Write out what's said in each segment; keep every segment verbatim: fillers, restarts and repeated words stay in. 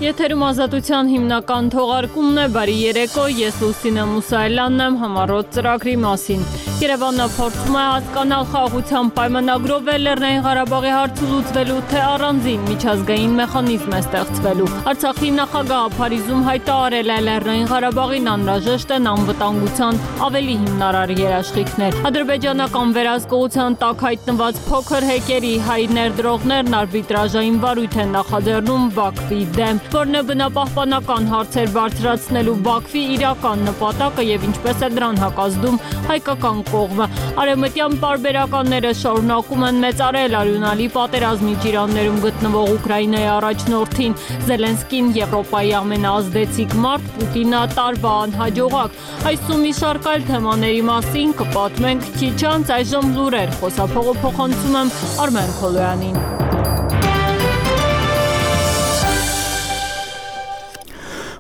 Եթերում ազատության հիմնական թողարկումն է, բարի երեկո, ես Լուսինե Մուսայելյանն եմ, համառոտ ծրագրի մասին։ Երևանը փորձում է հասկանալ խաղաղության պայմանագրով է Լեռնային Ղարաբաղի հարցը լուծվելու, թե առանձին միջազգային մեխանիզմ է ստեղծվելու։ Արցախի նախագահը Փարիզում հայտարարել է Լեռնային Ղարաբաղին անհրաժեշտ են անվտանգության ավելի հիմնարար երաշխիքներ։ Ադրբեջանական վերահսկողության տակ հայտնված փոքր հեկերի հայ ներդրողներն արբիտրաժային վարույթ են նախաձեռնում Բաքվի դեմ, որն է բնապահպանական հարցեր բարձրացնելու Բաքվի իրական նպատակը եւ ինչպես է դրան հակազդում հայկական կողմը։ Արևմտյան պարբերականները շարունակում են մեծարել արյունալի պատերազմի ջիրաններում գտնվող Ուկրաինայի առաջնորդին։ Զելենսկին Եվրոպայի ամենաազդեցիկ մարդ, Պուտինը տարվա անհաջողակ։ Այս ու մի շարք այլ թեմաների մասին կպատմենք քիչ անց, այժմ լուրեր, խոսափողը փոխանցում եմ Արմեն Քոլոյանին։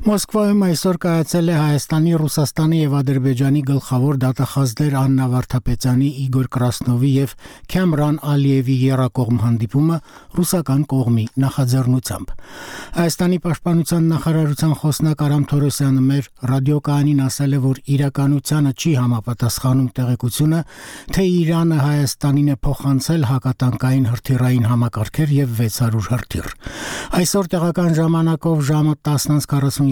Մոսկվայում այսօր կայացել է Հայաստանի, Ռուսաստանի եւ Ադրբեջանի գլխավոր դատախազներ Աննա Վարդապետյանի, Իգոր Կրասնովի եւ Քամրան Ալիևի եռակողմ հանդիպումը ռուսական կողմի նախաձեռնությամբ։ Հայաստանի պաշտպանության նախարարության խոսնակ Արամ Թորոսյանը մեր ռադիոկայանին ասել է, որ իրականությանը չի համապատասխանում տեղեկությունը, թե Իրանը Հայաստանին է փոխանցել հակատանկային հրթիռային համակարգեր եւ վեց հարյուր հրթիռ։ Այսօր տեղական ժամանակով ժամը տասն քառասունյոթին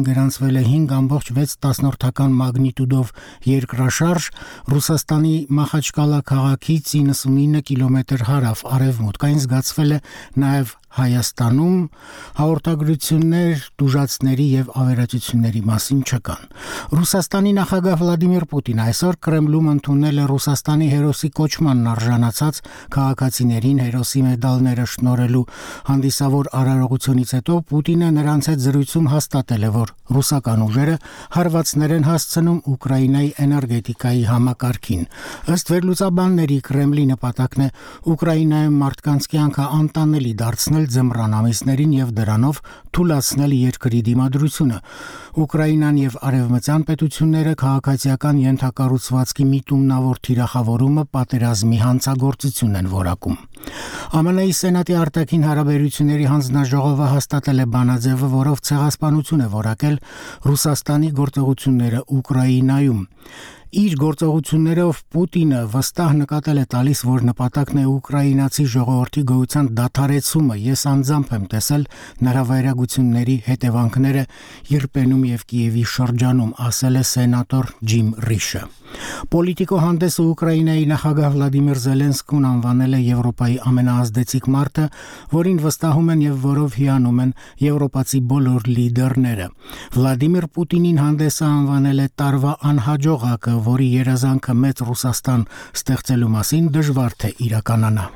գրանցվել է հինգ ամբողջ վեց տասնորդական մագնիտուդով երկրաշարժ Ռուսաստանի Մախաչկալա քաղաքից իննսունինը կիլոմետր հարավ արևմուտք։ Այն զգացվել է նաև Հայաստանում, հաղորդագրություններ դուժացների եւ ավերածությունների մասին չկան։ Ռուսաստանի նախագահ Վլադիմիր Պուտինը այսօր Կրեմլում ընդունել է Ռուսաստանի հերոսի կոչմանն արժանացած քաղաքացիներին հերոսի մեդալները շնորհելու հանդիսավոր արարողությունից հետո Պուտինը նրանց հետ զրույցում հաստատել է, որ ռուսական ուժերը հարվածներ են հասցնում Ուկրաինայի էներգետիկայի համակարգին։ Ըստ վերլուծաբանների Կրեմլի նպատակն է Ուկրաինայում մարդկանց կյանքը անտանելի դարձնել ձմռան ամիսներին եւ դրանով թուլացնել երկրի դիմադրությունը։ Ուկրաինան եւ արևմտյան պետությունները քաղաքացիական ենթակառուցվածքի միտումնավոր թիրախավորումը պատերազմի հանցագործություն են որակում։ ԱՄՆ-ի Սենատի արտաքին հարաբերությունների հանձնաժողովը հաստատել է բանաձևը, որով ցեղասպանություն է որակել Ռուսաստանի գործողությունները Ուկրաինայում։ Իր գործողություններով Պուտինը վստահ նկատել է տալիս, որ նպատակն է ուկրաինացի ժողովրդի գոյության դադարեցումը։ Ես անձամբ եմ տեսել նրա վայրագությունների հետևանքները Իրպենում եւ Կիևի շրջանում, ասել է սենատոր Ջիմ Ռիշը։ Պոլիտիկո հանդեսը Ուկրաինայի նախագահ Վլադիմիր Զելենսկին անվանել է Եվրոպայի ամենաազդեցիկ մարդը, որին վստահում են եւ որով հիանում են եվրոպացի բոլոր լիդերները։ Վլադիմիր Պուտինին հանդեսը անվանել է տարվա անհաջողակը, որի երազանքը մեծ Ռուսաստան ստեղծելու մասին դժվար թե իրականանա։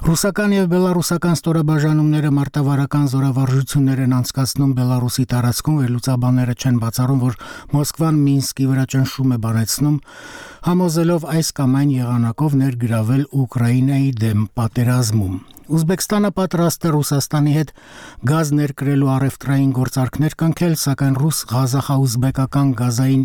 Ռուսական եւ բելարուսական ստորաբաժանումները մարտավարական զորավարժություններ են անցկացնում Բելարուսի տարածքում, վերլուծաբանները չեն բացառում, որ Մոսկվան Մինսկի վրա ճնշում է բանեցնում, համոզելով այս կամ այն եղանակով ներգրավել Ուկրաինայի դեմ պատերազմում։ Ուզբեկստանը պատրաստ է Ռուսաստանի հետ գազ ներկրելու առևտրային գործարքներ կնքել, սակայն ռուս-ղազախա-ուզբեկական գազային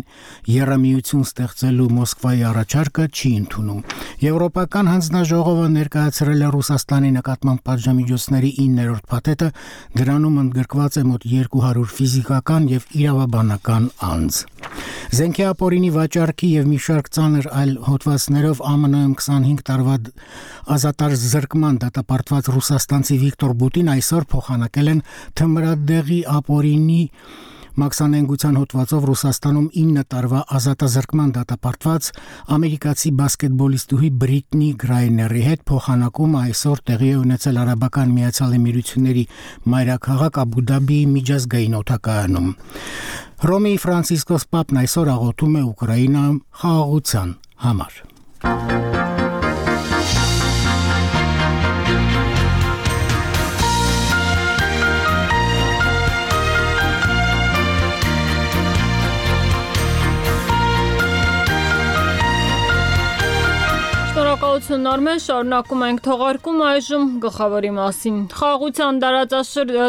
եռամիություն ստեղծելու Մոսկվայի առաջարկը չի ընդունում։ Եվրոպական հանձնաժողովը ներկայացրել է Ռուսաստանի նկատմամբ պատժամիջոցների իններորդ փաթեթը, դրանում ընդգրկված է մոտ երկու հարյուր ֆիզիկական եւ իրավաբանական անձ։ Զենքի ապօրինի վաճառքի եւ մի շարք ծանր այլ հոդվածներով ԱՄՆ-ում քսանհինգ տարվա ազատազրկման դատապարտված ռուսաստանցի Վիկտոր Բուտին այսօր փոխանակել են թմրադեղի ապօրինի մաքսանենգության հոդվածով Ռուսաստանում ինը տարվա ազատազրկման դատապարտված ամերիկացի բասկետբոլիստուհի Բրիտնի Գրայների հետ փոխանակումը այսօր տեղի է ունեցել Արաբական Միացյալ Էմիրությունների մայրաքաղաք Աբու Դաբիի միջազգային օդակայանում։ Ռոմի Ֆրանցիսկոս Պապն այսօր աղոթում է Ուկրաինայում խաղաղության համար։ Շնորհակալություն Ողջույն Արմեն, շարունակում ենք թողարկում այժմ գլխավորի մասին։ Խաղաղության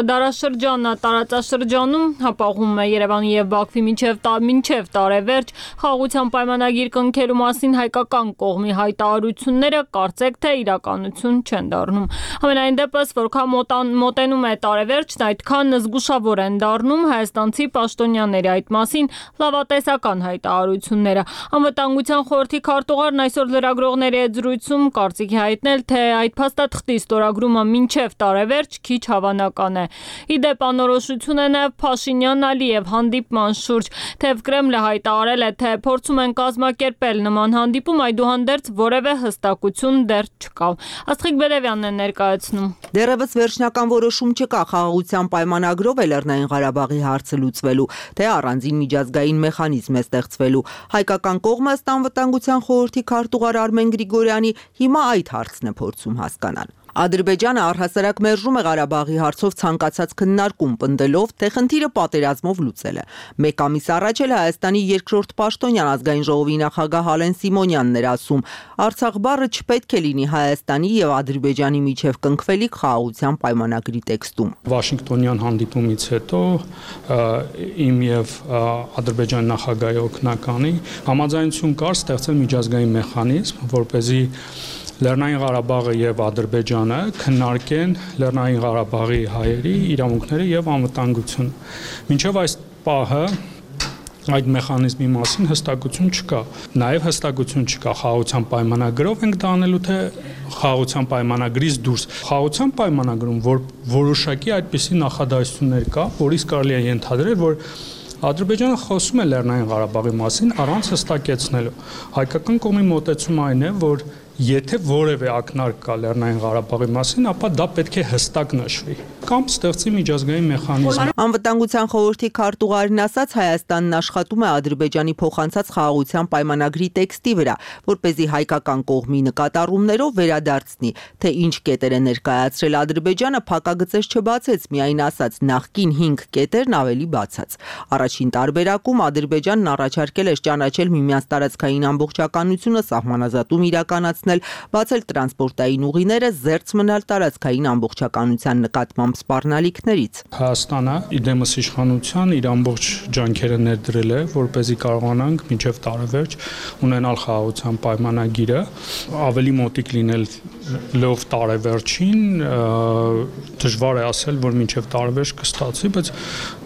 դարաշրջանը տարածաշրջանում հապաղում է Երևանի եւ Բաքվի մինչեւ մինչեւ տարեվերջ խաղաղության պայմանագիր կնքելու մասին հայկական կողմի հայտարարությունները կարծեք թե իրականություն չեն դառնում։ Համենայն դեպս, որքան մոտենում է տարեվերջն, այդքան զգուշավոր են դառնում հայաստանցի պաշտոնյաների այդ մասին լավատեսական հայտարարությունները։ Անվտանգության խորհրդի քարտուղարն այսօր լրագրողների հետ զրույցում կարծիքի հայտնել, թե այդ փաստաթղթի ստորագրումը մինչև տարեվերջ քիչ հավանական է։ Իդեպ անորոշություն է նաև Փաշինյան-Ալիև հանդիպման շուրջ, թեև Կրեմլը հայտարարել է, թե փորձում են կազմակերպել նման հանդիպում, այդուհանդերձ որևէ հստակություն դեռ չկա։ Աստղիկ Բերևյանն է ներկայացնում։ Դեռևս վերջնական որոշում չկա խաղաղության պայմանագրով է Լեռնային Ղարաբաղի հարցը լուծվելու, թե առանձին միջազգային մեխանիզմ է ստեղծվելու։ Հայկական կողմը ըստ Անվտանգության խորհրդի քարտուղար Արմեն Գրիգորյանի հիմա այդ հարցն է փորձում հասկանալ։ Ադրբեջանը առհասարակ մերժում է Ղարաբաղի հարցով ցանկացած քննարկում, պնդելով, թե խնդիրը պատերազմով լուծել է։ Մեկ ամիս առաջ էլ Հայաստանի երկրորդ պաշտոնյան ազգային ժողովի նախագահ Հալեն Սիմոնյանն էր ասում. Արցախ բառը չպետք է լինի Հայաստանի եւ Ադրբեջանի միջև կնքվելիք խաղաղության պայմանագրի տեքստում։ Վաշինգտոնյան հանդիպումից հետո իմ եւ Ադրբեջանի նախագահի օգնականի համաձայնություն կար ստեղծել միջազգային մեխանիզմ, որպեսզի Լեռնային Ղարաբաղը եւ Ադրբեջանը քննարկեն Լեռնային Ղարաբաղի հայերի իրավունքները եւ անվտանգությունը։ Մինչեւ այս պահը այդ մեխանիզմի մասին հստակություն չկա։ Նաեւ հստակություն չկա խաղաղության պայմանագրով ենք դա անելու, թե խաղաղության պայմանագրից դուրս։ Խաղաղության պայմանագրում որ որոշակի այդպիսի նախադասություններ կա, որից կարելի է ենթադրել, որ Ադրբեջանը խոսում է Լեռնային Ղարաբաղի մասին առանց հստակեցնելու։ Հայկական կողմի մոտեցումը այն է, որ եթե որևէ ակնարկ կա Լեռնային Ղարաբաղի մասին, ապա դա պետք է հստակ նշվի կամ ստեղծի միջազգային մեխանիզմ։ Անվտանգության խորհրդի քարտուղարն ասաց, Հայաստանն աշխատում է Ադրբեջանի փոխանցած խաղաղության պայմանագրի տեքստի վրա, որպեսզի հայկական կողմի նկատառումներով վերադարձնի, թե ինչ կետեր է ներկայացրել Ադրբեջանը, փակագծեր չբացեց, միայն ասաց նախկին հինգ կետերն ավելի բացած։ Առաջին տարբերակում Ադրբեջանն առաջարկել է ճանաչել միմյանց տարածքային ամբողջականությունը, սահմանազատում իրականացնել, բացել տրանսպորտային ուղիները, զերծ մնալ տարածքային ամբողջականության նկատմամբ սպառնալիքներից։ Հայաստանը իդեմս իշխանության իր ամբողջ ջանքերը ներդրել է, որպեսզի կարողանանք մինչև տարեվերջ ունենալ խաղաղության պայմանագիրը, ավելի մոտիկ լինել լով տարեվերջին, դժվար է ասել, որ մինչև տարեվերջ կստացվի, բայց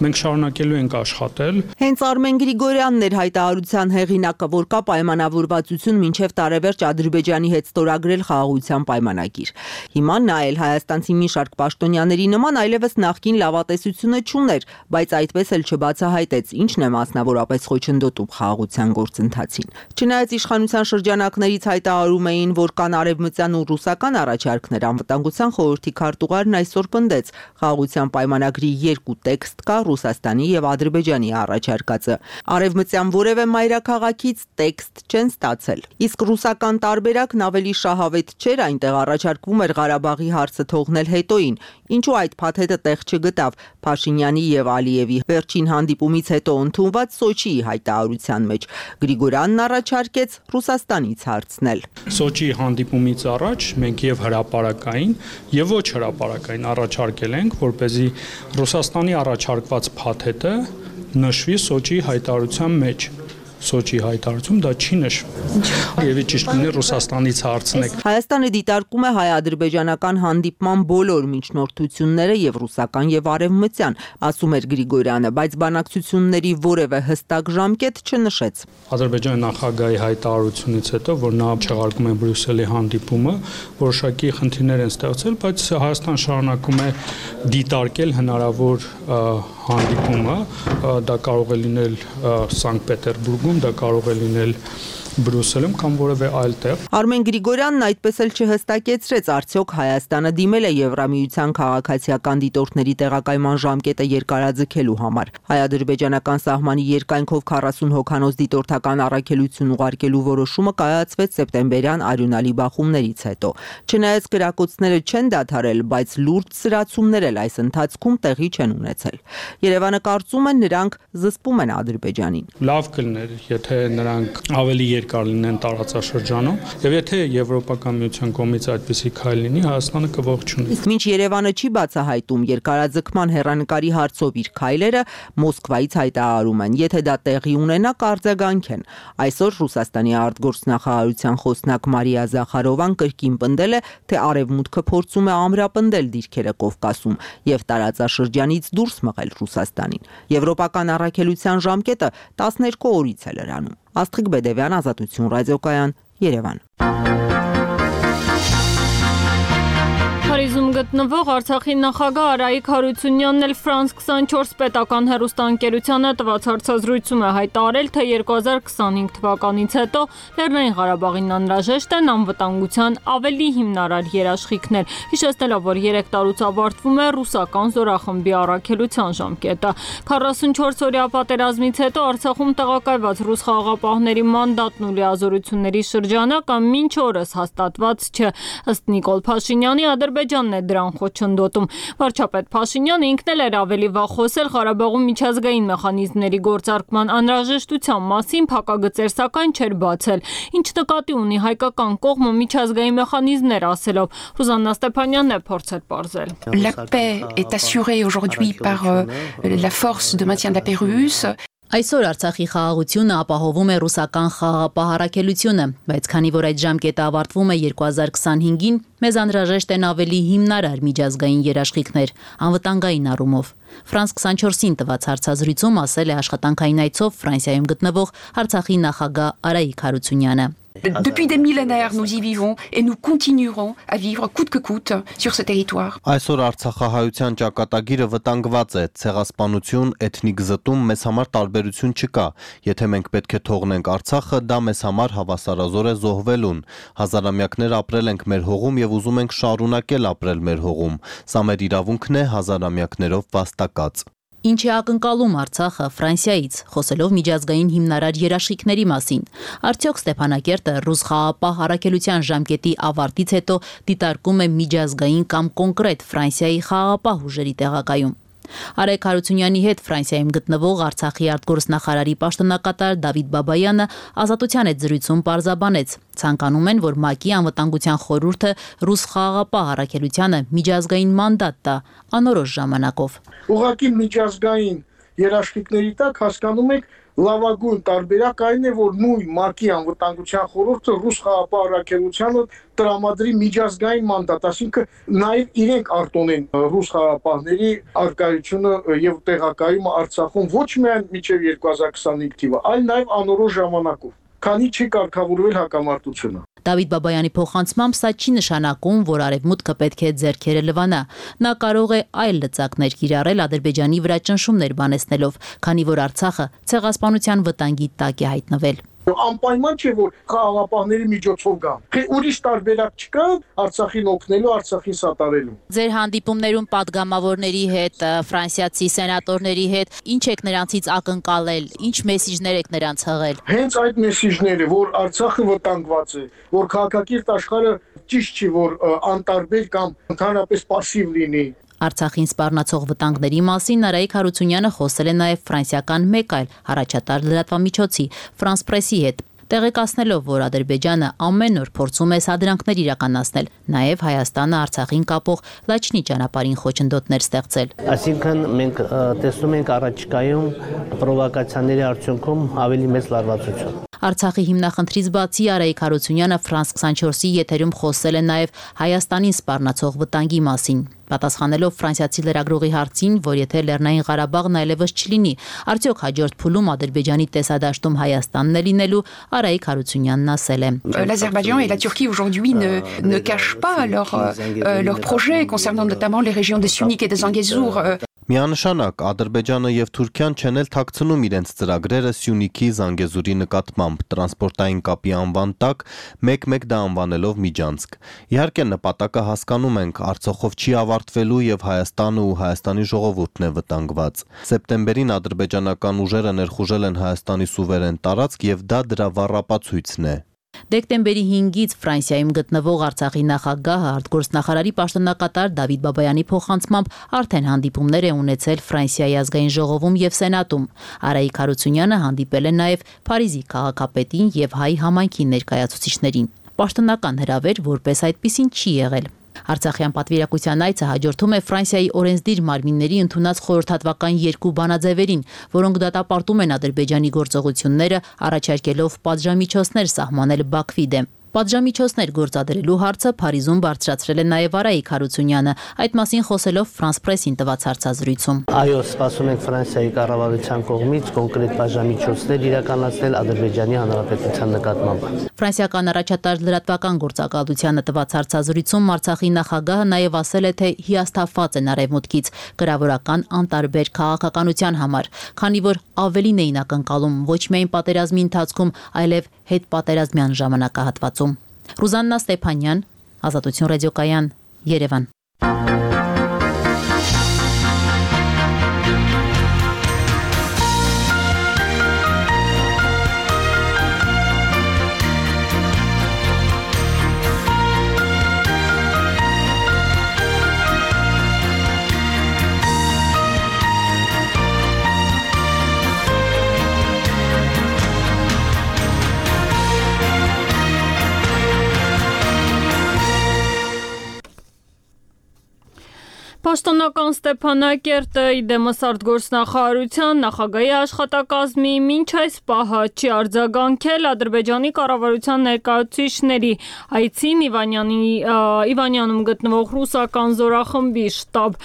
մենք շարունակելու ենք աշխատել։ Հենց Արմեն Գրիգորյանն էր հայտարարության հեղինակը, որ կա պայմանավորվածություն մինչև տարեվերջ Ադրբեջանի հետ ստորագրել խաղաղության պայմանագիր։ Հիմա նա էլ հայաստանցի մի շարք պաշտոնյաների նման այլևս նախկին լավատեսությունը չուներ, բայց այդպես էլ չբացահայտեց, ինչն է մասնավորապես խոչընդոտում խաղաղության գործընթացին։ Չնայած իշխանության շրջանակներից հայտարարում էին, որ կան արևմտյան ու ռուսական առաջարկներ, Անվտանգության խորհրդի քարտուղարն այսօր պնդեց, խաղաղության պայմանագրի երկու տեքստ կա, Ռուսաստանի եւ Ադրբեջանի առաջարկածը։ Արևմտյան որևէ մայրաքաղաքից տեքստ չեն ստացել։ Իսկ ռուսական տարբերակն ավելի շահավետ չէր, այնտեղ առաջարկվում էր Ղարաբաղի հարցը թողնել հետոին, ինչու այդ փաթեթը տեղ չգտավ Փաշինյանի եւ Ալիևի վերջին հանդիպումից հետո ընդունված Սոչիի հայտարարության մեջ։ Գրիգորյանն առաջարկեց Ռուսաստանից հարցնել։ Սոչիի հանդիպումից առաջ մենք եւ հրապարակային եւ ոչ հրապարակային առաջարկել ենք, որպեսզի Ռուսաստանի առաջարկված փաթեթը նշվի Սոչիի հայտարարության մեջ։ Սոչի հայտարարություն դա չի նշվում։ Եվ ճիշտ կլինի Ռուսաստանից հարցնեք։ Հայաստանը դիտարկում է հայ-ադրբեջանական հանդիպման բոլոր միջնորդությունները եւ ռուսական եւ արևմտյան, ասում էր Գրիգորյանը, բայց բանակցությունների որևէ հստակ ժամկետ չնշեց։ Ադրբեջանի նախագահի հայտարարությունից հետո, որ նա չեղարկում է Բրյուսելի հանդիպումը, որոշակի խնդիրներ են ստեղծել, բայց Հայաստան շարունակում է դիտարկել հնարավոր հանդիպումը, դա կարող է լինել Սանկտ Պետերբուրգում, դա կարող է լինել Բրյուսելում կամ որևէ այլ տեղ։ Արմեն Գրիգորյանն այդպես էլ չհստակեցրեց, արդյոք Հայաստանը դիմել է Եվրամիության քաղաքացիական դիտորդների տեղակայման ժամկետը երկարաձգելու համար։ Հայ-ադրբեջանական սահմանի երկայնքով քառասուն հոգանոց դիտորդական առաքելություն ուղարկելու որոշումը կայացվեց սեպտեմբերյան արյունալի բախումներից հետո։ Չնայած կրակոցները չեն դադարել, բայց լուրջ սրացումներ էլ այս ընթացքում տեղի չեն ունեցել։ Երևանը կարծում է, նրանք զսպում են Ադրբեջանին։ Լավ կլիներ, եթե նրանք ավելի երկար լինեն տարածաշրջանում, եւ եթե Եվրոպական միության կողմից այդպիսի քայլ լինի, Հայաստանը կողջունի։ Իսկ մինչ Երևանը չի բացահայտում երկարաձգման հեռանկարի հարցով իր քայլերը, Մոսկվայից հայտարարում են, եթե դա տեղի ունենա, կարձագանք են։ Այսօր Ռուսաստանի արտգործնախարարության խոսնակ Մարիա Զախարովան կրկին պնդել է, թե Արևմուտքը փորձում է ամրապնդել դիրքերը Կովկասում եւ տարածաշրջանից դուրս մղել Ռուսաստանին։ Եվրոպական առաքելության ժամկետը տասներկու օրից է լրանում։ Աստղիկ Բեդևյան, Ազատություն ռադիոկայան, Երևան։ Փարիզում գտնվող Արցախի նախագահ Արայիկ Հարությունյանն էլ Ֆրանս քսանչորս պետական հեռուստաընկերությանը տված հարցազրույցում է հայտարարել, թե երկու հազար քսանհինգ թվականից հետո Լեռնային Ղարաբաղին անհրաժեշտ են անվտանգության ավելի հիմնարար երաշխիքներ, հիշեցնելով, որ երեք տարուց ավարտվում է ռուսական զորախմբի առաքելության ժամկետը։ քառասունչորս օրյա պատերազմից հետո Արցախում տեղակայված ռուս խաղաղապահների մանդատն ու լիազորությունների շրջանակը մինչ օրս հաստատված չէ։ Ըստ Նիկոլ Փաշինյանի, Ադրբեջանն է դրան խոչընդոտում։ Վարչապետ Փաշինյանը ինքն էլ էր ավելի վաղ խոսել Ղարաբաղում միջազգային մեխանիզմների գործարկման անհրաժեշտության մասին, փակագծեր սակայն չէր բացել, ինչ նկատի ունի հայկական կողմը միջազգային մեխանիզմներ ասելով։ Ռուզաննա Ստեփանյանն է փորձել պարզել։ La paix est assurée aujourd'hui par la force de maintien de la paix russe. Այսօր Արցախի խաղաղությունը ապահովում է ռուսական խաղաղապահ առաքելությունը, բայց քանի որ այդ ժամկետը ավարտվում է երկու հազար քսանհինգին, մեզ անհրաժեշտ են ավելի հիմնարար միջազգային երաշխիքներ, անվտանգային առումով։ Ֆրանս քսանչորսին տված հարցազրույցում ասել է աշխատանքային այցով Ֆրանսիայում գտնվող Արցախի նախագահ Արայիկ Հարությունյանը։ Depuis des millénaires, nous y vivons et nous continuerons à vivre coûte que coûte sur ce territoire. Այսօր Արցախահայության ճակատագիրը վտանգված է, ցեղասպանություն, էթնիկ զտում մեզ համար տարբերություն չկա։ Եթե մենք պետք է թողնենք Արցախը, դա մեզ համար հավասարազոր է զոհվելուն։ Հազարամյակներ ապրել ենք մեր հողում եւ ուզում ենք շարունակել ապրել մեր հողում։ Սա մեր իրավունքն է հազարամյակներով վաստակած։ Ինչ է ակնկալում Արցախը Ֆրանսիայից, խոսելով միջազգային հիմնարար երաշխիքների մասին։ Արդյոք Ստեփանակերտը ռուս խաղաղապահ առաքելության ժամկետի ավարտից հետո դիտարկում է միջազգային կամ կոնկրետ Ֆրանսիայի խաղաղապահ ուժերի տեղակայում։ Արայիկ Հարությունյանի հետ Ֆրանսիայում գտնվող Արցախի արտգործնախարարի պաշտոնակատար Դավիթ Բաբայանը Ազատության հետ զրույցում պարզաբանեց. ցանկանում են, որ ՄԱԿ-ի անվտանգության խորհուրդը ռուս խաղաղապահ առաքելությանը միջազգային մանդատ տա անորոշ ժամանակով։ Ուղղակի միջազգային երաշխիքների տակ հասկանում եք լավագույն տարբերակ այն է, որ նույն ՄԱԿ-ի անվտանգության խորհուրդը ռուս խաղաղապահ առաքելությանը տրամադրի միջազգային մանդատ, այսինքն նաև իրենք արտոնեն ռուս խաղաղապահների արկայությունը եւ տեղակայումը Արցախում ոչ միայն մինչեւ երկու հազար քսանհինգ թիվը, այլ նաև անորոշ ժամանակով, քանի չի կարգավորվել հակամարտությունը։ Դավիթ Բաբայանի փոխանցմամբ սա չի նշանակում, որ Արևմուտքը պետք է ձեռքերը լվանա։ Նա կարող է այլ լծակներ կիրառել Ադրբեջանի վրա ճնշումներ բանեցնելով, քանի որ Արցախը ցեղասպանության վտանգի տակ է հայտնվել։ Անպայման չէ, որ խաղաղապահների միջոցով գան։ Թե ուրիշ տարբերակ չկա Արցախին օգնելու, Արցախին սատարելու։ Ձեր հանդիպումներում падգամավորների հետ, ֆրանսիացի սենատորների հետ, ինչ եք նրանցից ակնկալել, ինչ մեսիջներ եք նրանց հղել։ Հենց այդ մեսիջները, որ Արցախը վտանգված է, որ քաղաքակիրթ աշխարհը ճիշտ չի, որ անտարբեր կամ ընդհանրապես пассив լինի։ Արցախին սպառնացող վտանգների մասին Արայիկ Հարությունյանը խոսել է նաև ֆրանսիական մեկ այլ առաջատար լրատվամիջոցի Ֆրանս Պրեսի հետ, տեղեկացնելով, որ Ադրբեջանը ամեն օր փորձում է սադրանքներ իրականացնել, նաև Հայաստանը Արցախին կապող լաչնի ճանապարհին խոչընդոտներ ստեղծել։ Այսինքն մենք տեսնում ենք առաջիկայում պրովոկացիաների արդյունքում ավելի մեծ լարվածություն։ Արցախի հիմնախնդրից բացի Արայիկ Հարությունյանը Ֆրանս քսանչորսի եթերում խոսել է նաև Հայաստանին սպառնացող վտանգի մասին, պատասխանելով ֆրանսիացի լրագրողի հարցին, որ եթե Լեռնային Ղարաբաղն այլևս չլինի, արդյոք հաջորդ փուլում Ադրբեջանի տեսադաշտում Հայաստանն է լինելու, Արայիկ Հարությունյանն ասել է. L'Azerbaïdjan et la Turquie aujourd'hui ne ne cachent pas leur leur projet concernant notamment les régions des Syunik et des Zangezur. Միանշանակ Ադրբեջանը եւ Թուրքիան չեն էլ թաքցնում իրենց ծրագրերը Սյունիքի Զանգեզուրի նկատմամբ տրանսպորտային կապի անվան տակ մեկ-մեկ դա անվանելով Միջանցք։ Իհարկե նպատակը հասկանում ենք, Արցախով չի ավարտվելու եւ Հայաստանը ու Հայաստանի ժողովուրդն է վտանգված։ Սեպտեմբերին ադրբեջանական ուժերը ներխուժել են Հայաստանի սուվերեն տարածք եւ դա դրա վառապացույցն է։ Դեկտեմբերի հինգից Ֆրանսիայում գտնվող Արցախի նախագահը արտգործնախարարի պաշտոնակատար Դավիթ Բաբայանի փոխանցմամբ արդեն հանդիպումներ է ունեցել Ֆրանսիայի ազգային ժողովում եւ Սենատում։ Արայիկ Հարությունյանը հանդիպել է նաեւ Փարիզի քաղաքապետին եւ հայ համայնքի ներկայացուցիչներին։ Պաշտոնական հրավեր որպես այդպիսին չի եղել։ Արցախյան պատվիրակության այցը հաջորդում է Ֆրանսիայի օրենսդիր մարմինների ընդունած խորհրդատվական երկու բանաձևերին, որոնք դատապարտում են Ադրբեջանի գործողությունները, առաջարկելով պատժամիջոցներ սահմանել Բաքվի դեմ։ Պատժամիջոցներ գործադրելու հարցը Փարիզում բարձրացրել է նաև Արայիկ Հարությունյանը, այդ մասին խոսելով France Press-ին տված հարցազրույցում։ Այո, սպասում ենք Ֆրանսիայի կառավարության կողմից կոնկրետ պատժամիջոցներ իրականացնել Ադրբեջանի Հանրապետության նկատմամբ։ Ֆրանսիական առաջատար լրատվական գործակալությանը տված հարցազրույցում Արցախի նախագահը նաև ասել է, թե հիասթափված են Արևմուտքից կրավորական անտարբեր քաղաքականության համար, քանի որ ավելին էին ակնկալում ոչ միայն պատերազմի ընթացքում, այլև հետպատերազմյան ժամանակահատվածում։ Ռուզաննա Ստեփանյան, Ազատություն ռադիոկայան, Երևան։ Պաշտոնական Ստեփանակերտը իդեմս արտգործնախարարության նախագահի աշխատակազմի մինչ այս պահը չի արձագանքել Ադրբեջանի կառավարության ներկայացուցիչների այցին Իվանյանում գտնվող ռուսական զորախմբի շտաբ,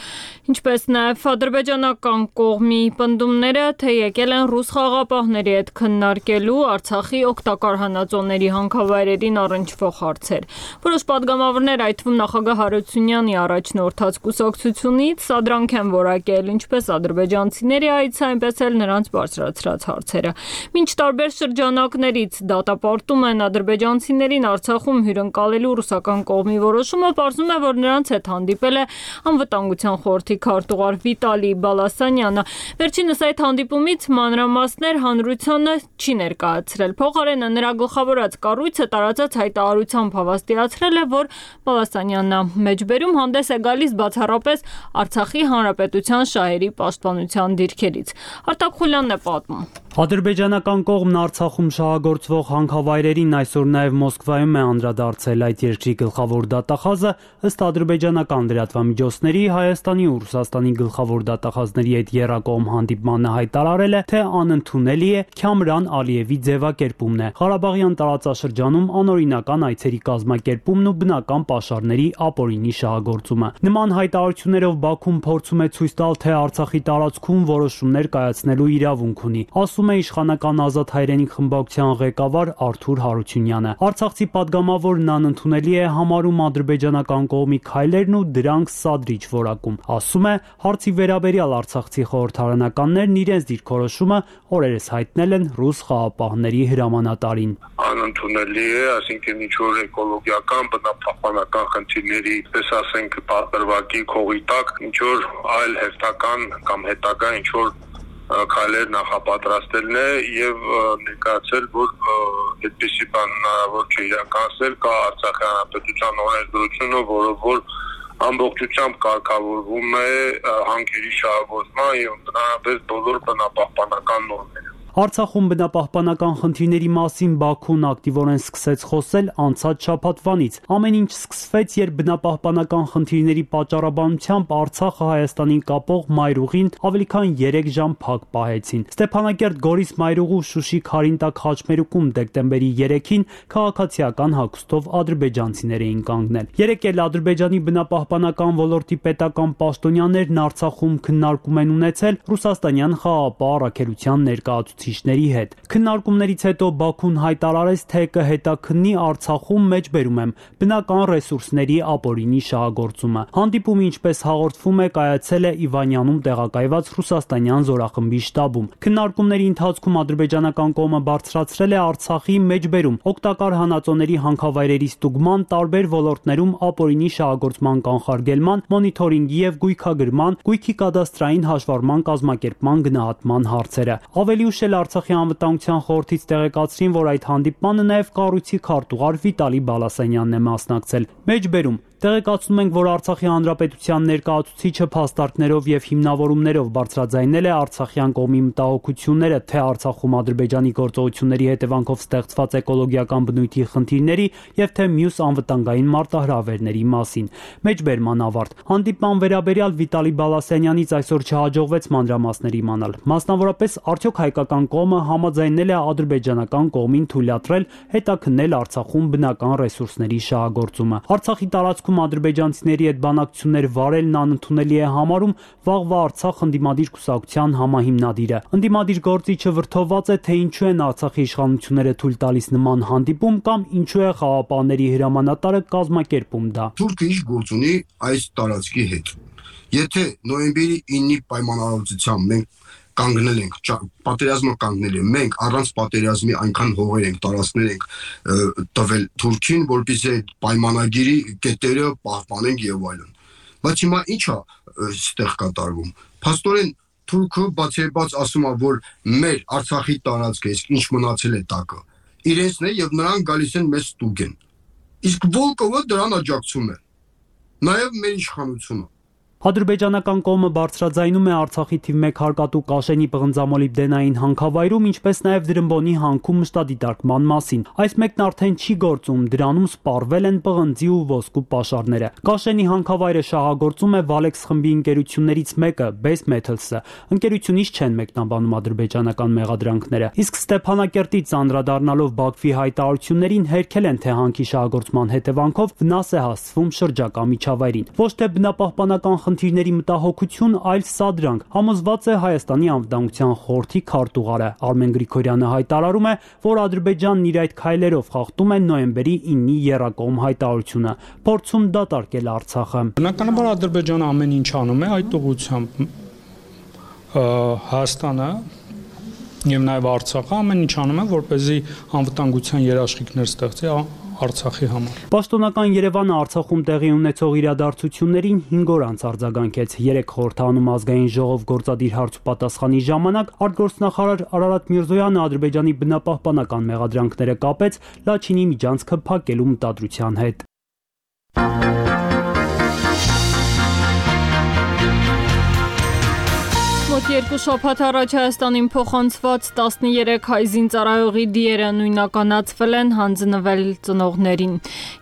ինչպես նաև ադրբեջանական կողմի պնդումները, թե եկել են ռուս խաղաղապահների հետ քննարկելու Արցախի օգտակար հանածոների հանքավայրերին առնչվող հարցեր։ Որոշ պատգամավորներ, այդ թվում նախագահ Հարությունյանի առաջնորդած կուսակցությունից սադրանք են որակել ինչպես ադրբեջանցիների այցը, այնպես էլ նրանց բարձրացրած հարցերը։ Մինչ տարբեր շրջանակներից դատապարտում են ադրբեջանցիներին Արցախում հյուրընկալելու ռուսական կողմի որոշումը, պարզվում է, որ նրանց հետ հանդիպել է անվտանգության խորհրդի քարտուղար Վիտալի Բալասանյանը։ Վերջինս այդ հանդիպումից մանրամասներ հանրությանը չի ներկայացրել։ Փոխարենը նրա գլխավորած կառույցը տարածած հայտարարությամբ հավաստիացրել է, որ Բալասանյանը մեջբերում հանդես է գալիս բացառապես Արցախի հանրապետության շահերի պաշտպանության դիրքերից։ Արտակ Խուլյանն է պատմում։ Ադրբեջանական կողմն Արցախում շահագործվող հանքավայրերին այսօր նաև Մոսկվայում է անդրադարձել այդ երկրի գլխավոր դատախազը, ըստ ադրբեջանական լրատվամիջոցների Հայաստանի ու Ռուսաստանի գլխավոր դատախազների հետ եռակողմ հանդիպմանը հայտարարել է, թե անընդունելի է Քամրան Ալիևի ձևակերպումն է, Ղարաբաղյան տարածաշրջանում անօրինական այցերի կազմակերպումն ու բնական պաշարների ապօրինի շահագործումը։ Նման հայտարարություններով Բաքուն փորձում է ցույց տալ, թե Արցախի տարածքում որոշումներ կայացնելու իրավունք ունի, ասում է իշխանական ազատ հայրենիք խմբակցության ղեկավար Արթուր Հարությունյանը։ Արցախցի պատգամավորն անընդունելի է համարում ադրբեջանական կողմի քայլերն ու դրանք սադրիչ որակում։ Ասում է, հարցի վերաբերյալ արցախցի խորհրդարանականներն իրենց դիրքորոշումը օրերս հայտնել են ռուս խաղաղապահների հրամանատարին։ Անընդունելի է, այսինքն ինչ որ էկոլոգիական, բնապահպանական խնդիրների, պես ասենք, պատրվակի քողի տակ, ինչ որ այլ հերթական կամ հետագա ինչ որ քայլեր նախապատրաստելն է եւ ներկայացել, որ այդպիսի բան հնարավոր չէ իրականացնել, կա Արցախի հանրապետության օրենսդրությունը, որը որ ամբողջությամբ կարգավորվում է հանքերի շահագործման եւ ընդհանրապես բոլոր բնապահպանական նորմերը։ Արցախում բնապահպանական խնդիրների մասին Բաքուն ակտիվորեն սկսեց խոսել անցած շաբաթվանից։ Ամեն ինչ սկսվեց, երբ բնապահպանական խնդիրների պատճառաբանությամբ Արցախը Հայաստանին կապող մայրուղին ավելի քան երեք ժամ փակ պահեցին։ Ստեփանակերտ Գորիս մայրուղու Շուշի Քարինտակ խաչմերուկում դեկտեմբերի երեքին քաղաքացիական հագուստով ադրբեջանցիներ էին կանգնել։ Երեկ էլ Ադրբեջանի բնապահպանական ոլորտի պետական պաշտոնյաներն Արցախում քննարկում են ունեցել ռուսաստանյան խաղաղապահ առաքելության ներկայացուցիչների հետ։ Քննարկումներից հետո Բաքուն հայտարարեց, թե կհետաքննի Արցախում մեջբերում եմ բնական ռեսուրսների ապօրինի շահագործումը։ Հանդիպումը, ինչպես հաղորդվում է, կայացել է Իվանյանում տեղակայված ռուսաստանյան զորախմբի շտաբում։ Քննարկումների ընթացքում ադրբեջանական կողմը բարձրացրել է Արցախի մեջբերում օգտակար հանածոների հանքավայրերի ստուգման, տարբեր ոլորտներում ապօրինի շահագործման կանխարգելման, մոնիթորինգի եւ գույքագրման, գույքի կադաստրային հաշվառման կազմակերպման գնահատման հարցերը։ Ավելի ուշ էլ Արցախի անվտանգության խորհրդից տեղեկացրին, որ այդ հանդիպմանը նաև կառույցի քարտուղար Վիտալի Բալասանյանն է մասնակցել։ Մեջբերում տեղեկացնում ենք, որ Արցախի հանրապետության ներկայացուցիչը փաստարկներով եւ հիմնավորումներով բարձրաձայնել է արցախյան կողմի մտահոգությունները թե Արցախում Ադրբեջանի գործողությունների հետևանքով ստեղծված էկոլոգիական բնույթի խնդիրների եւ թե մյուս անվտանգային մարտահրավերների մասին։ Մեջբերման ավարտ։ Հանդիպման վերաբերյալ Վիտալի Բալասանյանից այսօր չհաջողվեց մանրամասներ իմանալ։ Մասնավորապես, արդյոք հայկական կողմը համաձայնել է ադրբեջանական կողմին թույլատրել հետաքննել Արցախում բնական ռեսուրսների շահագործումը։ Արցախի տարածքում ադրբեջանցիների հետ բանակցություններ վարելն անընդունելի է համարում վաղվա Արցախ ընդդիմադիր կուսակցության համահիմնադիրը։ Ընդդիմադիր գործիչը վրդովված է, թե ինչու են Արցախի իշխանությունները թույլ տալիս նման հանդիպում կամ ինչու է խաղաղապահների հրամանատարը կազմակերպում դա։ Թուրքը ինչ գործ ունի այս տարածքի հետ։ Եթե նոյեմբերի ինի պայմանավորվածությամբ մենք կանգնել ենք, պատերազմը կանգնել ենք, մենք առանց պատերազմի այնքան հողեր ենք, տարածքներ ենք տվել Թուրքին, որպեսզի այդ պայմանագիրի կետերը պահպանենք եւ այլն։ Բայց հիմա ի՞նչ է այստեղ կատարվում։ Փաստորեն Թուրքը բացեբաց ասում է, որ մեր Արցախի տարածքը ինչ մնացել է տակը, իրենցն է եւ նրանք գալիս են մեզ ստուգեն։ Իսկ Վոլկովը դրան աջակցում է։ Նաեւ մեր իշխանությունը։ Ադրբեջանական կողմը բարձրաձայնում է Արցախի թիվ մեկ հարկատու Կաշենի պղնձամոլիբդենային հանքավայրում, ինչպես նաև Դրամբոնի հանքում մշտադիտարկման մասին։ Այս մեկն արդեն չի գործում, դրանում սպառվել են պղնձի ու ոսկու պաշարները։ Կաշենի հանքավայրը շահագործում է Valex խմբի ընկերություններից մեկը, Base Metals-ը։ Ընկերությունից չեն մեկնաբանում ադրբեջանական մեղադրանքները։ Իսկ Ստեփանակերտից անդրադառնալով Բաքվի հայտարարություններին հերքել են, թե հանքի շահագործման հետևանքով վնաս է հասցվում շրջակա միջավայրին։ Ոչ թե բնապահպանական խնդիրների մտահոգություն, այլ սադրանք, համոզված է Հայաստանի անվտանգության խորհրդի քարտուղարը։ Արմեն Գրիգորյանը հայտարարում է, որ Ադրբեջանն իր այդ քայլերով խախտում է նոյեմբերի ինի եռակողմ հայտարարությունը, փորձում դատարկել Արցախը։ Բնականաբար Ադրբեջանը ամեն ինչ անում է այդ ուղղությամբ։ Հայաստանը եւ նաեւ Արցախը ամեն ինչ անում է, որպեսզի անվտանգության երաշխիքներ ստեղծի Արցախի համար։ Պաշտոնական Երևանը Արցախում տեղի ունեցող իրադարձություններին հինգ օր անց արձագանքեց։ Երեք խորհրդանում ազգային ժողով գործադիր հարց ու պատասխանի ժամանակ արտգործնախարար Արարատ Միրզոյանը Ադրբեջանի բնապահպանական մեղադրանքները կապեց Լաչինի միջանցքը փակելու մտադրության հետ։ Մոտ երկու շաբաթ առաջ Հայաստանին փոխանցված տասներեք հայ զինծառայողի դիերը նույնականացվել են հանձնվել ծնողներին։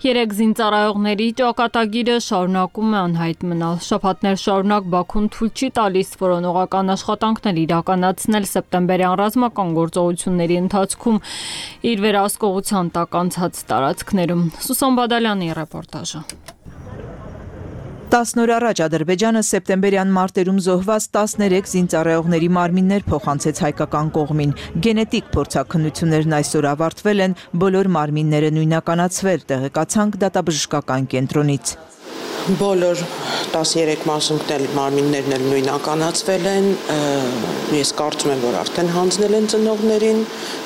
Երեք զինծառայողների ճակատագիրը շարունակում է անհայտ մնալ։ Շաբաթներ շարունակ Բաքուն թույլ չի տալիս որոնողական աշխատանքներ իրականացնել սեպտեմբերյան ռազմական գործողությունների ընթացքում իր վերահսկողության տակ անցած տարածքներում։ Սուսան Բադալյանի ռեպորտաժը։ տասն օր առաջ Ադրբեջանը սեպտեմբերյան մարտերում զոհված տասներեք զինծառայողների մարմիններ փոխանցեց հայկական կողմին։ Գենետիկ փորձաքննություններն այսօր ավարտվել են, բոլոր մարմինները նույնականացվել, տեղեկացանք դատաբժշկական կենտրոնից։ Բոլոր տասներեք մասունքներ մարմիններն էլ նույնականացվել են, ես կարծում եմ, որ արդեն հանձնել են ծնողներին,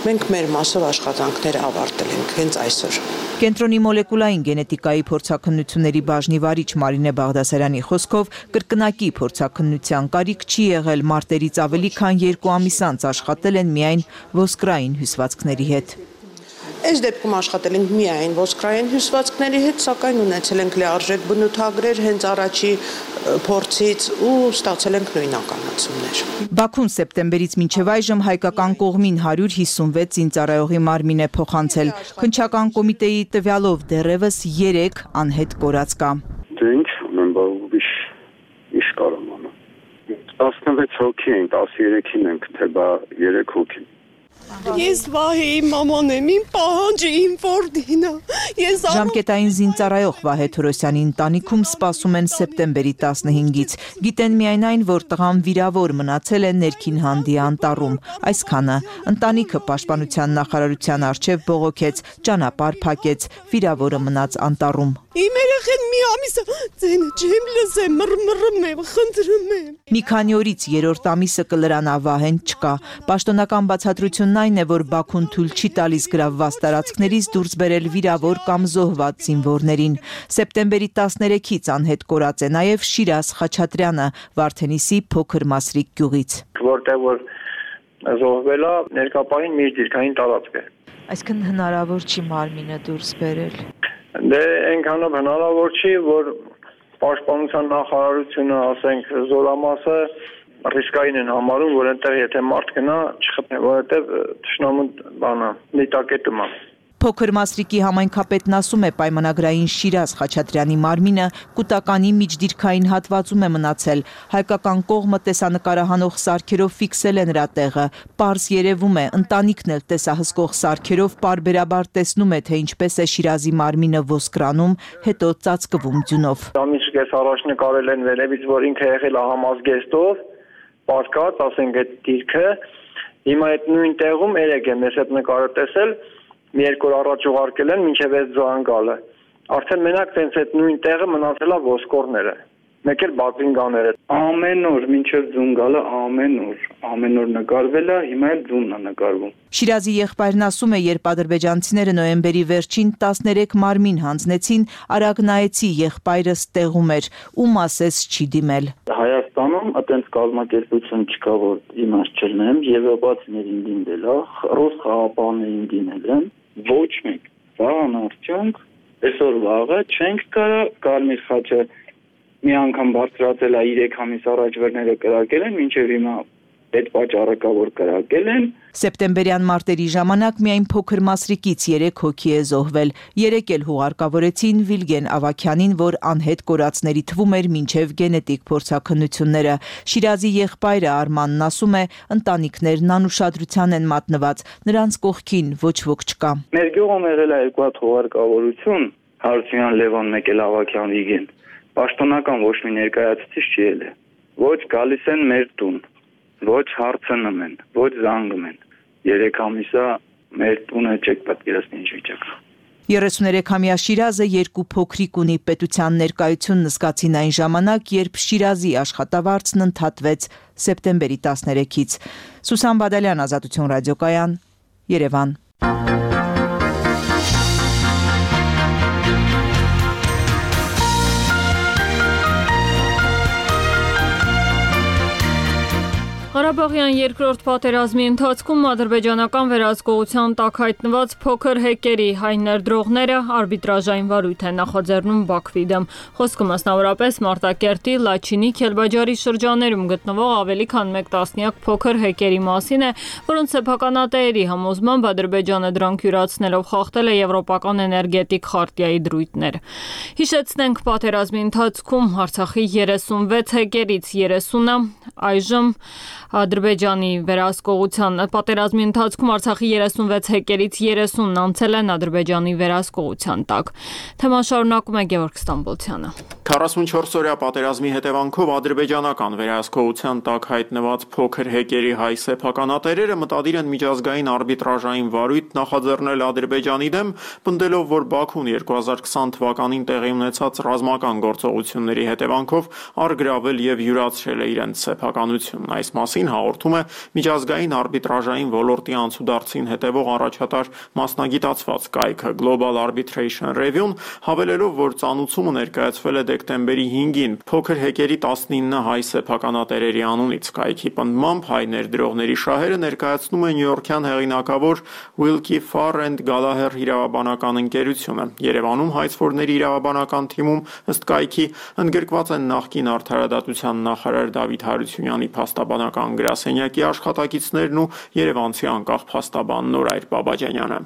մենք մեր մասով աշխատանքները ավարտել ենք հենց այսօր։ Կենտրոնի մոլեկուլային գենետիկայի փորձաքննությունների բաժնի վարիչ Մարինե Բաղդասարյանի խոսքով կրկնակի փորձաքննության կարիք չի եղել, մարտերից ավելի քան երկու ամիս անց աշխատել են միայն ոսկրային հյուսվածքների հետ։ Այս դեպքում աշխատել ենք միայն ոսկրային հյուսվածքների հետ, սակայն ունեցել ենք լիարժեք բնութագրեր հենց առաջի փորձից ու ստացել ենք նույնականացումներ։ Բաքուն սեպտեմբերից մինչև այժմ հայկական կողմին հարյուր հիսունվեց զինծառայողի մարմին է փոխանցել։ Քննչական կոմիտեի տվյալով դեռևս երեք անհետ կորած կա։ Դե ինչ ունեմ, բավիշ ինչ կարամ անեմ։ տասնվեց հոգի են, տասներեքին ենք, թե բա երեք հոգի։ Ես Վահեի մաման եմ, իմ պահանջը իմ որդինը։ Ես Ժամկետային զինծառայող Վահե Թորոսյանի ընտանիքում սպասում են սեպտեմբերի տասնհինգից։ Գիտեն միայն այն, որ տղան վիրավոր մնացել է ներքին հանդի անտառում։ Այսքանը ընտանիքը պաշտպանության նախարարության առջև բողոքեց, ճանապարհ փակեց, վիրավորը մնաց անտառում։ Իմ երեխեն մի ամիսը ձենը չեմ լսեմ, մռմռում եմ, խնդրում եմ։ Մի քանի օրից երրորդ ամիսը կլրանա Վահեն չկա։ Պաշտոնական բացատրությունն այն է, որ Բաքուն թույլ չի տալիս գրավված տարածքներից դուրս բերել վիրավոր կամ զոհված զինվորներին։ Սեպտեմբերի տասներեքից անհետ կորած է նաև Շիրազ Խաչատրյանը, Վարդենիսի փոքր Մասրիկ գյուղից։ Որտեղ որ զոհվել է ներկապահին միջդիրքային տարածքը։ Այսինքն հնարավոր չի մարմինը դուրս բերել։ Դե այնքանով հնարավոր չի, որ պաշտպանության նախարարությունը, ասենք, զորամասը ռիսկային են համարում, որ այնտեղ եթե մարդ գնա չխփնի, որովհետև թշնամու բանա, դիտակետում է։ Փոքր Մասրիկի համայնքապետն ասում է, պայմանագրային Շիրազ Խաչատրյանի մարմինը կൂട്ടականի միջդիրքային հատվածում է մնացել։ Հայկական կողմը տեսանկարահանող սարքերով ֆիքսել է նրա տեղը։ Պարզ երևում է, ընտանիքն էլ տեսահսկող սարքերով պարբերաբար տեսնում է, թե ինչպես է Շիրազի մարմինը ոսկրանում, հետո ծածկվում ձյունով։ Ամիս կես առաջ նկարել են վերևից, որ ինքը եղել է համազգեստով, պարկած, ասենք այդ դիրքը։ Հիմա այդ նույն տեղում երեք եմ ես այդ նկարը տեսել, մի երկու օր առաջ ուղարկել են մինչև այս զանգալը։ Արդեն մենակ տենց այդ նույն տեղը մնացել է ոսկորները, մեկ էլ բացինգաները։ Ամեն օր մինչև զանգալը ամեն օր, ամեն օր նկարվել է, հիմա էլ ձունն է նկարվում։ Շիրազի եղբայրն ասում է, երբ ադրբեջանցիները նոյեմբերի վերջին տասներեք մարմին հանձնեցին, Արագնայեցի եղբայրը ստեղում էր, ում ասես չի դիմել։ Հայաստանում այդպես կազմակերպություն չկա, որ իմաստ չլնեմ, եվրոպացիներին դիմել է, ռուս խաղապահներին դիմել են, ոչ մեկ։ Վաղն արդյունք, այսօր վաղը չենք կարա Կարմիր խաչը մի անգամ բարձրացել է երեք ամիս առաջ վերները կրակել են, մինչև հիմա այդ պատճառը կա, որ կրակել են։ Սեպտեմբերյան մարտերի ժամանակ միայն Փոքր Մասրիկից երեք հոգի է զոհվել։ Երեք էլ հուղարկավորեցին Վիլգեն Ավագյանին, որ անհետ կորածների թվում էր մինչև գենետիկ փորձաքննությունները։ Շիրազի եղբայրը Արմանն ասում է, ընտանիքներն անուշադրության են մատնված, նրանց կողքին ոչ ոք չկա։ Մեր գյուղում եղել է երկու հատ հուղարկավորություն, Հարությունյան Լևոն, մեկ էլ Ավագյան Վիգեն։ Պաշտոնական ոչ մի ներկայացուցիչ չի ելել։ Ոչ գալիս են մեր տուն, ոչ հարցնում են, ոչ զանգում են։ Երեք ամիսա մեր տունը չեք պատկերացնի ինչ վիճակը։ երեսուներեքամյա Շիրազը երկու փոքրիկ ունի, պետության ներկայությունն զգացին այն ժամանակ, երբ Շիրազի աշխատավարձն ընդհատվեց սեպտեմբերի տասներեքից։ Սուսան Բադալյան, Ազատություն ռադիոկայան, Երևան։ Ղարաբաղյան երկրորդ պատերազմի ընթացքում ադրբեջանական վերահսկողության տակ հայտնված փոքր հեկերի հայ ներդրողները արբիտրաժային վարույթ են նախաձեռնում Բաքվի դեմ։ Խոսքը մասնավորապես Մարտակերտի, Լաչինի, Քելբաջարի շրջաներում գտնվող ավելի քան մեկ տասնյակ փոքր հեկերի մասին է, որոնց սեփականատերերի համոզմամբ Ադրբեջանը դրանք յուրացնելով խախտել է եվրոպական էներգետիկ խարտիայի դրույթներ։ Հիշեցնենք, պատերազմի ընթացքում Արցախի երեսունվեց հեկերից երեսունը այժմ Ադրբեջանի վերահսկողության պատերազմի ընթացքում Արցախի երեսունվեց հեկերից երեսունն անցել են Ադրբեջանի վերահսկողության տակ։ Թեման շարունակում է Գևորգ Ստամբոլցյանը։ քառասունչորս օրյա պատերազմի հետևանքով ադրբեջանական վերահսկողության տակ հայտնված փոքր հեկերի հայ սեփականատերերը մտադիր են միջազգային արբիտրաժային վարույթ նախաձեռնել Ադրբեջանի դեմ, պնդելով, որ Բաքուն երկու հազար քսան թվականին տեղի ունեցած ռազմական գործողությունների հետևանքով առգրավել եւ յուրացրել է իրենց սեփականությունն։ Այս մասին հաղորդում է միջազգային արբիտրաժային ոլորտի անցուդարձին հետևող առաջատար մասնագիտացված կայքը Global Arbitration Review-ն, հավելելով, որ ծանուցումը ներկայացվել է դեկտեմբերի հինգին փոքր հեկերի տասնինը հայ սեփականատերերի անունից։ Կայքի պնդմամբ հայ ներդրողների շահերը ներկայացնում է նյույորքյան հեղինակավոր Wilkie Farr and Gallagher իրավաբանական ընկերությունը։ Երևանում հայցվորների իրավաբանական թիմում ըստ կայքի ընդգրկված են նախկին արդարադատության նախարար Դավիթ Հարությունյանի փաստաբանական գրասենյակի աշխատակիցներն ու երևանցի անկախ փաստաբան Նորայր Բաբաջանյանը։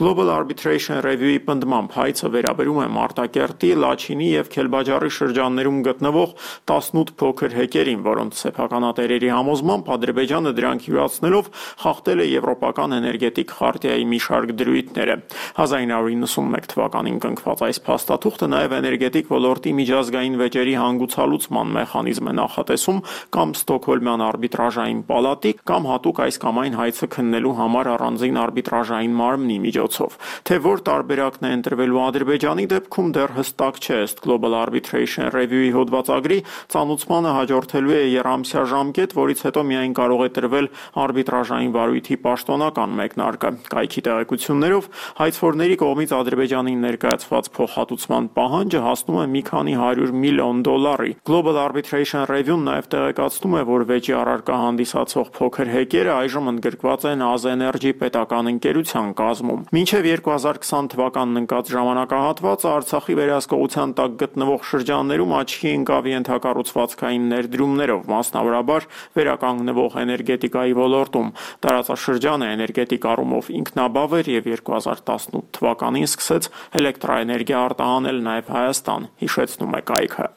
Global Arbitration Review-ի պնդմամբ հայցը վերաբերում է Մարտակերտի, Լաչինի եւ Քելբաջարի շրջաններում գտնվող տասնութ փոքր հեկերին, որոնց սեփականատերերի համոզմամբ Ադրբեջանը դրանք յուրացնելով խախտել է եվրոպական էներգետիկ խարտիայի մի շարք դրույթները։ հազար ինը հարյուր նվաթ թվականին կնքված այս փաստաթուղթը նաև էներգետիկ ոլորտի միջազգային վեճերի հանգուցալուծման մեխանիզմ է նախատեսում կամ Ստոկհոլմյան արբիտրաժային պալատի կամ հատուկ այս կամ այն հայցը քննելու համար առանձին արբիտրաժային մարմնի միջոցով։ Թե որ տարբերակն է ընտրվելու Ադրբեջանի դեպքում դեռ հստակ չէ, ըստ Global Arbitration Arbitration Review-ի հոդվածագրի ծանուցմանը հաջորդելու է երամսյա ժամկետ, որից հետո միայն կարող է տրվել արբիտրաժային վարույթի պաշտոնական մեկնարկը։ Կայքի տեղեկություններով հայցվորների կողմից Ադրբեջանին ներկայացված փոխհատուցման պահանջը հասնում է մի քանի հարյուր միլիոն դոլարի։ Global Arbitration Review-ն նաև տեղեկացնում է, որ վեճի առարկա հանդիսացող փոքր հեկերը այժմ ընդգրկված են Azenergy պետական ընկերության կազմում։ Մինչև երկու հազար քսան թվականն ընկած ժամանակահատվածը Արցախի վերահսկողության տակ գտնվող շրջաններում աչքի ընկավ ենթակառուցվածքային ներդրումներով, մասնավորաբար վերականգնվող էներգետիկայի ոլորտում։ Տարածաշրջանը էներգետիկ առումով ինքնաբավ էր եւ երկու հազար տասնութ թվականին սկսեց էլեկտրաէներգիա արտահանել նաև Հայաստան, հիշեցնում է կայքը։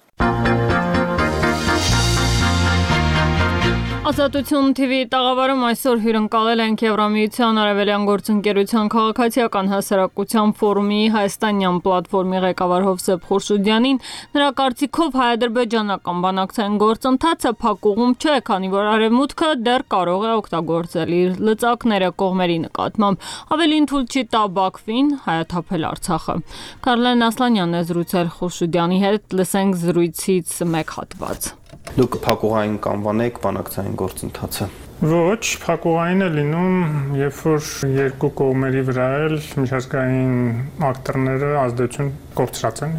Ազատություն թիվի տաղավարում այսօր հյուրընկալել ենք Եվրամիության Արևելյան գործընկերության քաղաքացիական հասարակության ֆորումի հայաստանյան պլատֆորմի ղեկավար Հովսեփ Խուրշուդյանին։ Նրա կարծիքով հայ-ադրբեջանական բանակցային գործընթացը փակուղում չէ, քանի որ Արևմուտքը դեռ կարող է օգտագործել իր լծակները կողմերի նկատմամբ, ավելին թույլ չի տա Բաքվին հայաթափել Արցախը։ Կարլեն Ասլանյանն է զրուցել Խուրշուդյանի հետ, լսենք զրույցից մեկ հատված։ Դուք փակուղային կանվանեք բանակցային գործընթացը։ Ոչ, փակուղային է լինում, երբ որ երկու կողմերի վրա էլ միջազգային ակտորները ազդեցություն կորցրած են,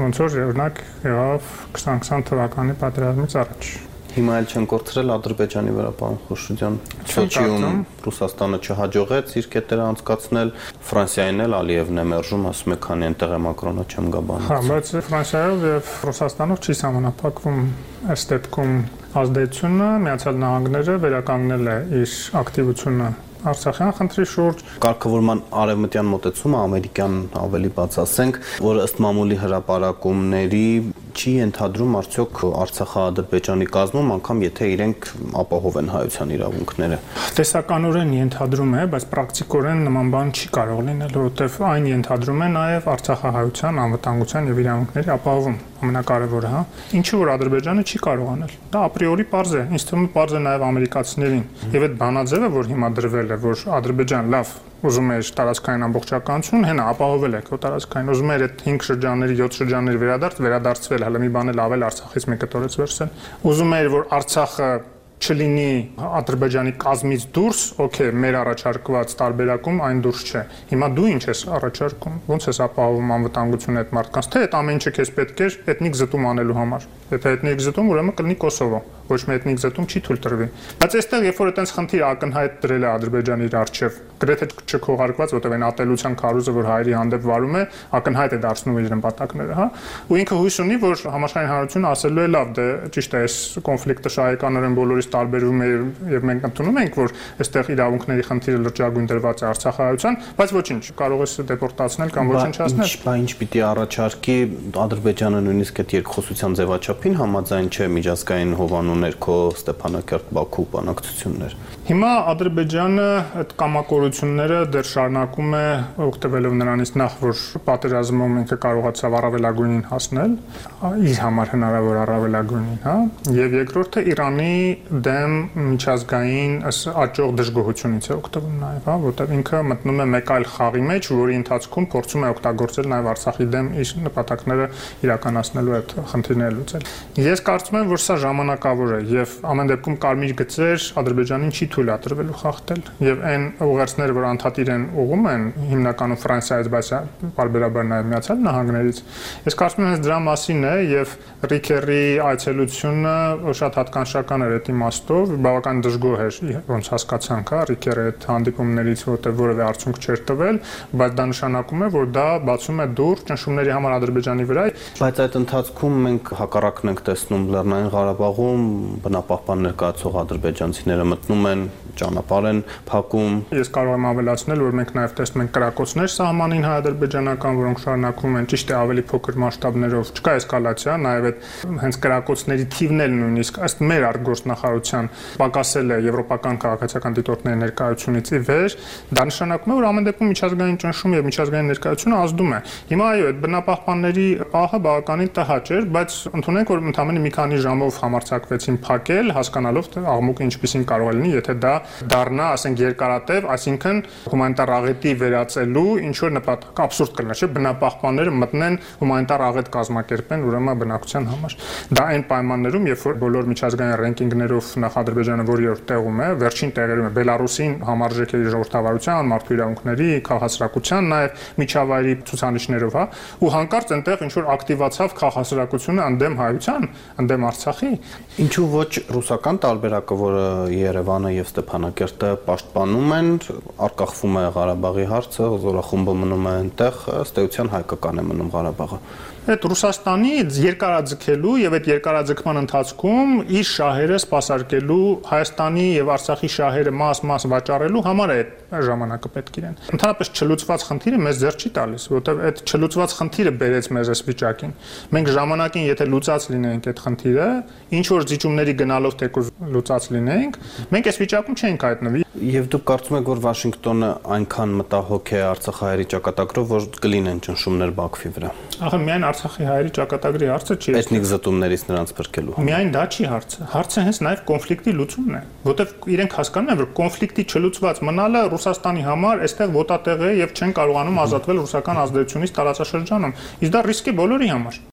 ոնց որ օրինակ եղավ քսան քսան թվականի պատերազմից առաջ։ Հիմա էլ չեն կորցրել Ադրբեջանի վրա, պարոն Խուրշուդյան։ Սոչիում Ռուսաստանը չհաջողեց իր կետերը անցկացնել, Ֆրանսիային էլ Ալիևն է մերժում, ասում է, քանի այնտեղ է Մակրոնը չեմ գա բանից։ Հա, բայց Ֆրանսիայով եւ Ռուսաստանով չի սահմանափակվում այս դեպքում ազդեցությունը, Միացյալ Նահանգները վերականգնել է իր ակտիվությունը Արցախյան խնդրի շուրջ։ Կարգավորման արևմտյան մոտեցումը ամերիկյան ավելի բաց ասենք, որ ըստ մամուլի հրապարակումների չի ենթադրում արդյոք Արցախա-Ադրբեջանի կազմում, անգամ եթե իրենք ապահովեն հայության իրավունքները։ Տեսականորեն ենթադրում է, բայց պրակտիկորեն նման բան չի կարող լինել, որովհետև այն ենթադրում է նաև արցախահայության անվտանգության եւ իրավունքների ապահովում, ամենակարևորը, հա։ Ինչու որ Ադրբեջանը չի կարող անել։ Դա ապրիորի պարզ է, ինձ թվում է պարզ է նաև ամերիկացիներին։ Եվ այդ բանաձևը, որ հիմա դրվել է, որ Ադրբեջան լավ ուզում էր տարածքային ամբողջականություն, հենա ապահովել է քո տարածքային, ուզում էր այդ հինգ շրջանների, յոթ շրջանների վերադարձ, վերադարձվել, հələ մի բան էլ ավել Արցախից մեկը տորեց վերցել։ Ուզում էր, որ Արցախը չլինի Ադրբեջանի կազմից դուրս, օքեյ, մեր առաջարկված տարբերակում այն դուրս չէ։ Հիմա դու ինչ ես առաջարկում, ո՞նց ես ապահովում անվտանգությունը այդ մարդկանց, թե այդ ամեն ինչը քեզ պետք է էթնիկ զտում անելու համար։ Եթե էթնիկ զտում, ուրեմն կլինի Կոսովո, ոչ մի էթնիկ զտում չի թույլ տրվի։ Բայց այստեղ երբ որ այտենց խնդիր ակնհայտ դրել է Ադրբեջանի իր առջև, գրեթե չքողարկված, որտեղ այն ատելության քարոզը, որ հայերի հանդեպ վարում է, ակնհայտ է դարձնում իր նպատակները, հա։ Ու ինքը հույս ունի, որ համաշխարհային հանրությունը ասելու է լավ, դե ճիշտ է, այս կոնֆլիկտը շահեկանորեն բոլորից տարբերվում է եւ մենք ընդունում ենք, որ այստեղ իրավունքների խնդիրը լրջագույն դրված է Արցախահայության, բայց ոչինչ, կարող ես դեպորտացնել կամ ոչնչացնել։ Բա ինչ պիտի առաջարկի Ադրբեջանը նույնիսկ այդ երկխոսության ձևաչափին համաձայն չէ միջազգային հովանու ներքո Ստեփանակերտ-Բաքու բանակցություններ։ Հիմա Ադրբեջանը այդ կամակորությունները դեռ շարունակում է օգտվելով նրանից նախ որ պատերազմում ինքը կարողացավ առավելագույնին հասնել, իր համար հնարավոր առավելագույնին, հա, եւ երկրորդը Իրանի դեմ միջազգային աճող դժգոհությունից է օգտվում նաեւ, հա, որտեղ ինքը մտնում է մեկ այլ խաղի մեջ, որի ընթացքում փորձում է օգտագործել նաեւ Արցախի դեմ իր նպատակները իրականացնելու այդ խնդիրները լուծել։ Ես կարծում եմ, որ սա ժամանակավոր է եւ ամեն դեպքում կարմիր գծեր Ադրբեջանին չի թույլատրվելու խախտել եւ այն ուղերձները, որ անդադիր են ուղում են հիմնականում Ֆրանսիայից, բայց բարբերաբար նաեւ Միացյալ Նահանգներից, ես կարծում եմ, դրա մասին է եւ Ռիքերի այցելությունը շատ հատկանշական էր այդ իմաստով, բավական դժգոհ էր, ոնց հասկացանք, հա, Ռիքերը այդ հանդիպումներից, որտեղ որևէ արդյունք չէր տվել, բայց դա նշանակում է, որ դա բացում է դուռ ճնշումների համար Ադրբեջանի վրա։ Բայց այդ ընթացքում մենք հակառակն ենք տեսնում Լեռնային Ղարաբաղում բնապահպան ներկայացող ադրբեջանցիները մտնում են, ճանապարհ են փակում։ Ես կարող եմ ավելացնել, որ մենք նաև տեսնում ենք կրակոցներ սահմանին հայ-ադրբեջանական, որոնք շարունակվում են, ճիշտ է, ավելի փոքր մասշտաբներով, չկա էսկալացիա, նաև այդ հենց կրակոցների թիվն էլ նույնիսկ ըստ մեր արտգործնախարարության պակասել է եվրոպական քաղաքացիական դիտորդների ներկայությունից ի վեր, դա նշանակում է, որ ամեն դեպքում միջազգային ճնշում եւ միջազգային ներկայությունը ազդում է։ Հիմա այո, այդ բնապահպանների պահը բավականին տհաճ էր, բայց ընդունենք, որ ընդամենը մի քանի ժամով համարձակվեցին սկսեցին փակել, հասկանալով թե աղմուկը ինչպեսին կարող է լինի, եթե դա դառնա, ասենք, երկարատև, այսինքն հումանիտար աղետի վերածելու ինչ որ նպատակ աբսուրդ կլինի, չէ՞, բնապահպանները մտնեն հումանիտար աղետ կազմակերպեն ուրեմն բնակության համար։ Դա այն պայմաններում, երբ որ բոլոր միջազգային ռենկինգներով նախ Ադրբեջանը որի-որ տեղում է, վերջին տեղերում է Բելարուսին համարժեք է ժողովրդավարության, մարդու իրավունքների, քաղաքացիական, նաև միջավայրի ցուցանիշներով, հա, ու հանկարծ այնտեղ ինչ որ ակտիվացավ քաղաքացիությունը ընդդեմ հայության, ընդդեմ Արցախի։ Ինչու ոչ ռուսական տարբերակը, որը Երևանը եւ Ստեփանակերտը պաշտպանում են, արկախվում է Ղարաբաղի հարցը, զորախումբը մնում է այնտեղ, ըստ էության հայկական է մնում Ղարաբաղը։ Այդ Ռուսաստանի երկարաձգելու եւ այդ երկարաձգման ընթացքում իր շահերը սպասարկելու Հայաստանի եւ Արցախի շահերը մաս-մաս վաճառելու համար է այդ ժամանակը պետք իրեն։ Ընդհանրապես չլուծված խնդիրը մեզ ձեռ չի տալիս, որովհետեւ այդ չլուծված խնդիրը բերեց մեզ այս վիճակին։ Մենք ժամանակին եթե լուծած լինեինք այդ խնդիրը, ինչ որ զիջումների գնալով թեկուզ լուծած լինեինք, մենք այս վիճակում չենք հայտնվի։ Եվ դուք կարծում եք, որ Վաշինգտոնը այնքան մտահոգ է արցախահայերի ճակատագրով, որ կլինեն ճնշումներ Բաքվի վրա։ Ահա միայն Արցախի հայերի ճակատագրի հարցը չի։ Էթնիկ զտումներից նրանց փրկելու։ Միայն դա չի հարցը։ Հարցը հենց նաև կոնֆլիկտի լուծումն է, որտեղ իրենք հասկանում են, որ կոնֆլիկտի չլուծված մնալը Ռուսաստանի համար այստեղ ոտատեղ է եւ չեն կարողանում ազատվել ռուսական ազդեցությունից տարածաշրջանում։ Իսկ դա ռիսկ է բոլորի համար։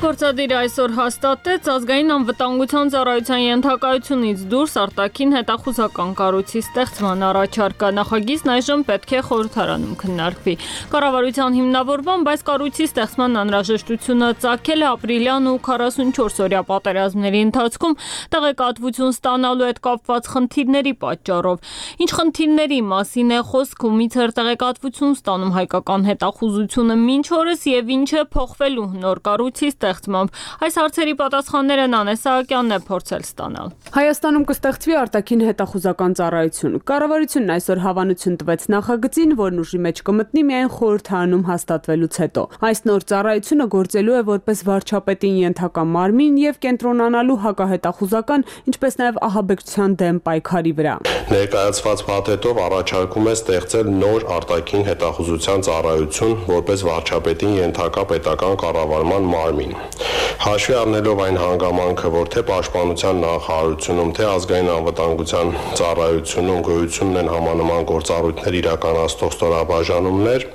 Գործադիրը այսօր հաստատեց ազգային անվտանգության ծառայության ենթակայությունից դուրս արտաքին հետախուզական կառույցի ստեղծման առաջարկը։ Նախագիծն այժմ պետք է խորհրդարանում քննարկվի։ Կառավարության հիմնավորմամբ այս կառույցի ստեղծման անհրաժեշտությունը ծագել է ապրիլյան ու քառասունչորս-օրյա պատերազմների ընթացքում տեղեկատվություն ստանալու հետ կապված խնդիրների պատճառով։ Ինչ խնդիրների մասին է խոսք, ումից էր տեղեկատվություն ստանում հայկական հետախուզությունը մինչ օրս եւ ինչ է փոխվելու նոր կառույցի Այս հարցերի պատասխանները Նանե Սահակյանն է փորձել ստանալ։ Հայաստանում կստեղծվի արտաքին հետախուզական ծառայություն։ Կառավարությունն այսօր հավանություն տվեց նախագծին, որն ուժի մեջ կմտնի միայն խորհրդարանում հաստատվելուց հետո։ Այս նոր ծառայությունը գործելու է որպես վարչապետին ենթակա մարմին եւ կենտրոնանալու հակահետախուզական, ինչպես նաեւ ահաբեկչության դեմ պայքարի վրա։ Ներկայացված փաթեթով առաջարկում է ստեղծել նոր արտաքին հետախուզության ծառայություն, որպես վարչապետին ենթակա պետական կառավարման մարմին։ Հաշվի առնելով այն հանգամանքը, որ թե պաշտպանության նախարարությունում, թե ազգային անվտանգության ծառայությունում գոյություն ունեն համանման գործառույթներ իրականացնող ստորաբաժանումներ,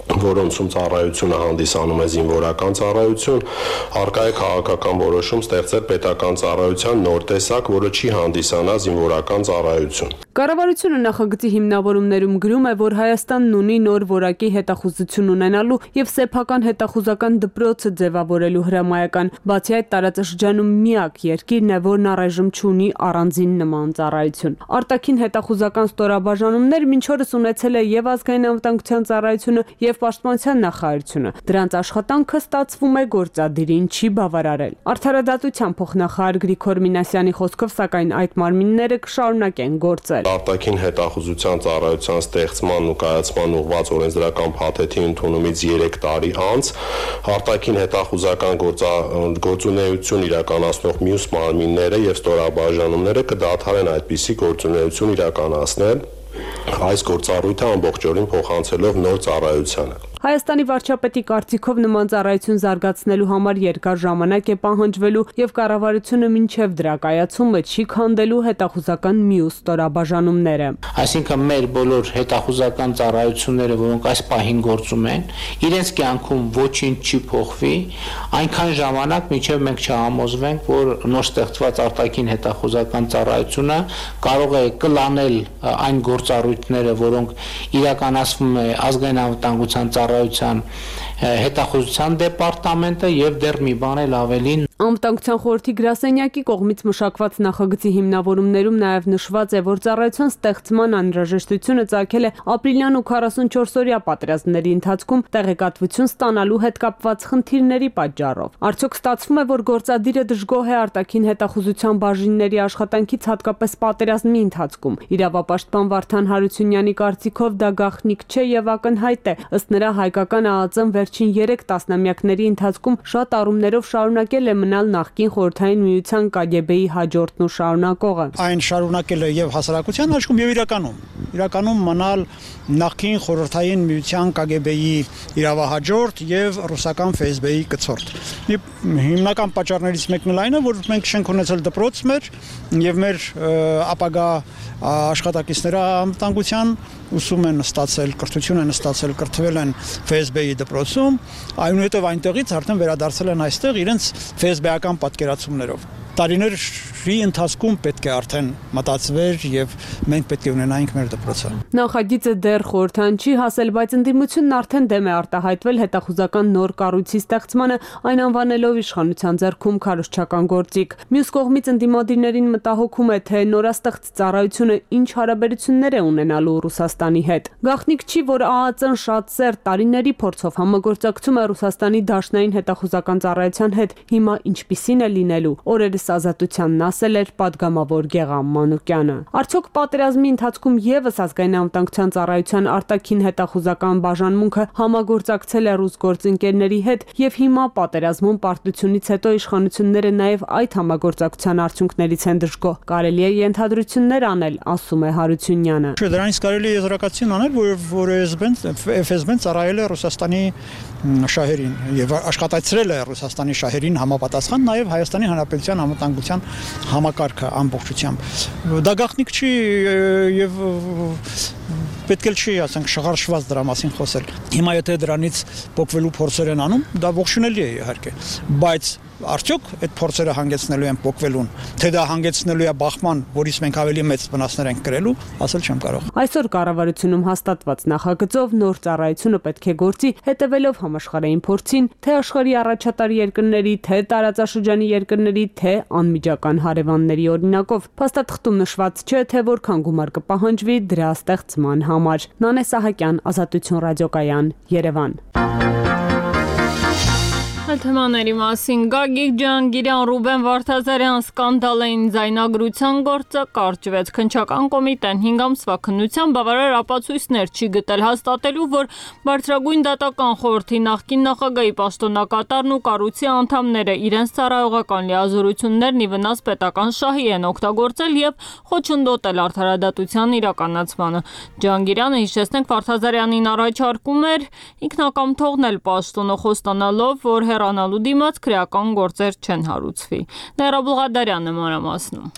որոնցում ծառայությունը հանդիսանում է զինվորական ծառայություն, առկա է քաղաքական որոշում ստեղծել պետական ծառայության նոր տեսակ, որը չի հանդիսանա զինվորական ծառայություն։ Կառավարությունը նախագծի հիմնավորումներում գրում է, որ Հայաստանն ունի նոր որակի հետախուզություն ունենալու եւ սեփական հետախուզական դպրոցը ձևավորելու հրամայական, բացի այդ տարածաշրջանում միակ երկիրն է, որն առայժմ չունի առանձին նման ծառայություն։ Արտաքին հետախուզական ստորաբաժանումներ մինչ օրս ունեցել է եւ ազգային անվտանգության ծառայությունը եւ պաշտպանության նախարարությունը։ Դրանց աշխատանքը ստացվում է գործադիրին չի բավարարել։ Արդարադատության փոխնախարար Գրիգոր Մինասյանի խոսքով, սակայն այդ մարմինները կշարունակեն գործել։ Արտաքին հետախուզության ծառայության ստեղծման ու կայացման ուղղված օրենսդրական փաթեթի ընդունումից երեք տարի անց արտաքին հետախուզական գործունեություն իրականացնող մյուս մարմինները եւ ստորաբաժանումները կդադարեն այդպիսի գործունեություն իրականացնել, այս գործառույթը ամբողջովին փոխանցելով նոր ծառայությանը։ Հայաստանի վարչապետի կարծիքով նման ծառայություն զարգացնելու համար երկար ժամանակ է պահանջվելու եւ կառավարությունը մինչեւ դրա կայացումը չի քանդելու հետախուզական մյուս ստորաբաժանումները։ Այսինքն մեր բոլոր հետախուզական ծառայությունները, որոնք այս պահին գործում են, իրենց կյանքում ոչինչ չի փոխվի, այնքան ժամանակ մինչեւ մենք չհամոզվենք, որ նոր ստեղծված արտաքին հետախուզական ծառայությունը կարող է կլանել այն գործառույթները, որոնք իրականացվում է ազգային անվտանգության ծառայության հետախուզության դեպարտամենտը եւ դեռ մի բան էլ ավելին։ Անվտանգության խորհրդի գրասենյակի կողմից մշակված նախագծի հիմնավորումներում նաև նշված է, որ ծառայության ստեղծման անհրաժեշտությունը ծագել է ապրիլյան ու քառասունչորս-օրյա պատերազմների ընթացքում տեղեկատվություն ստանալու հետ կապված խնդիրների պատճառով։ Արդյոք ստացվում է, որ գործադիրը դժգոհ է արտաքին հետախուզության բաժինների աշխատանքից, հատկապես պատերազմի ընթացքում։ Իրավապաշտպան Վարդան Հարությունյանի կարծիքով դա գաղտնիք չէ եւ ակնհայտ է։ Ըստ նրա, հայկական ԱԱԾ-ն վերջին երեք տասնամյակների ընթացքում շատ առումներով շարունակել է ունենալ նախկին Խորհրդային Միության Կա Գ B-ի հաջորդն ու շարունակողը։ Այն շարունակելը եւ հասարակության աչքում եւ իրականում իրականում մնալ նախկին Խորհրդային Միության Կա Գ B-ի իրավահաջորդ եւ ռուսական Ֆ S B-ի կցորդ։ Հիմնական պատճառներից մեկն էլ այն է, որ մենք չենք ունեցել դպրոց մեր եւ մեր ապագա աշխատակիցները անվտանգության ուսում են ստացել, կրթություն են ստացել, կրթվել են Ֆ S B-ի դպրոցում, այնուհետև այնտեղից արդեն վերադարձել են այստեղ իրենց Ֆ S B-ական պատկերացումներով։ Տարիների ընթացքում պետք է արդեն մտածվեր եւ մենք պետք է ունենայինք մեր դպրոցը։ Նախագիծը դեռ խորհրդան չի հասել, բայց ընդդիմությունն արդեն դեմ է արտահայտվել հետախուզական նոր կառույցի ստեղծմանը, այն անվանելով իշխանության ձեռքում քարոզչական գործիք։ Մյուս կողմից ընդդիմադիրներին մտահոգում է, թե նորաստեղծ ծառայությունը ինչ հարաբերություններ է ունենալու Ռուսաստանի հետ։ Գաղտնիք չի, որ Ա Ա Ծ-ն շատ սեր տարիների փորձով համագործակցում է Ռուսաստանի Դաշնային հետախուզական ծառայության հետ, հիմա ինչպիսին է լինելու։ Օրերս Ազատությանն ասել էր պատգամավոր Գեղամ Մանուկյանը։ Արդյոք պատերազմի ընթացքում եւս ազգային անվտանգության ծառայության արտաքին հետախուզական բաժանմունքը համագործակցել է ռուս գործընկերների հետ եւ հիմա պատերազմում պարտությունից հետո իշխանությունները նաեւ այդ համագործակցության արդյունքներից են դժգոհ։ Կարելի է ենթադրություններ անել, ասում է Հարությունյանը։ Դրանից կարելի է եզրակացություն անել, որ որ F S B-ն ծառայել է Ռուսաստանի շահերին եւ աշխատացրել է Ռուսաստանի շահերին համապատասխան նաեւ Հայաստանի Հանրապետության անվտանգության համակարգը ամբողջությամբ։ Դա գաղտնիք չի եւ պետք է չի, ասենք, շղարշված դրա մասին խոսել։ Հիմա եթե դրանից փոխվելու փորձեր են անում, դա ողջունելի է իհարկե, բայց արդյոք այդ փորձերը հանգեցնելու են փոխվելուն, թե դա հանգեցնելու է բախման, որից մենք ավելի մեծ վնասներ ենք կրելու, ասել չեմ կարող։ Այսօր կառավարությունում հաստատված նախագծով նոր ծառայությունը պետք է գործի հետևելով համաշխարհային փորձին, թե աշխարհի առաջատար երկրների, թե տարածաշրջանի երկրների, թե անմիջական հարևանների օրինակով։ Փաստաթղթում նշված չէ, թե որքան գումար կպահանջվի դրա ստեղծման համար։ Նանե Սահակյան, Ազատություն ռադիոկայան, Երևան։ Թեմաների մասին Գագիկ Ջհանգիրյան, Ռուբեն Վարդազարյան սկանդալային ձայնագրության գործը կարճվեց։ Քննչական կոմիտեն հինգ ամսվա քննության բավարար ապացույցներ չի գտել հաստատելու, որ Բարձրագույն դատական խորհրդի նախկին նախագահի պաշտոնակատարն ու կառույցի անդամները իրենց ծառայողական լիազորություններն ի վնաս պետական շահի են օգտագործել եւ խոչընդոտել արդարադատության իրականացմանը։ Ջհանգիրյանը, հիշեցնենք, Վարդազարյանին առաջարկում էր ինքնակամ թողնել պաշտոնը, խոստանալով, որ հեռանալու դիմաց քրեական գործեր չեն հարուցվի։ Ներա Բուլղադարյանը մանրամասնում։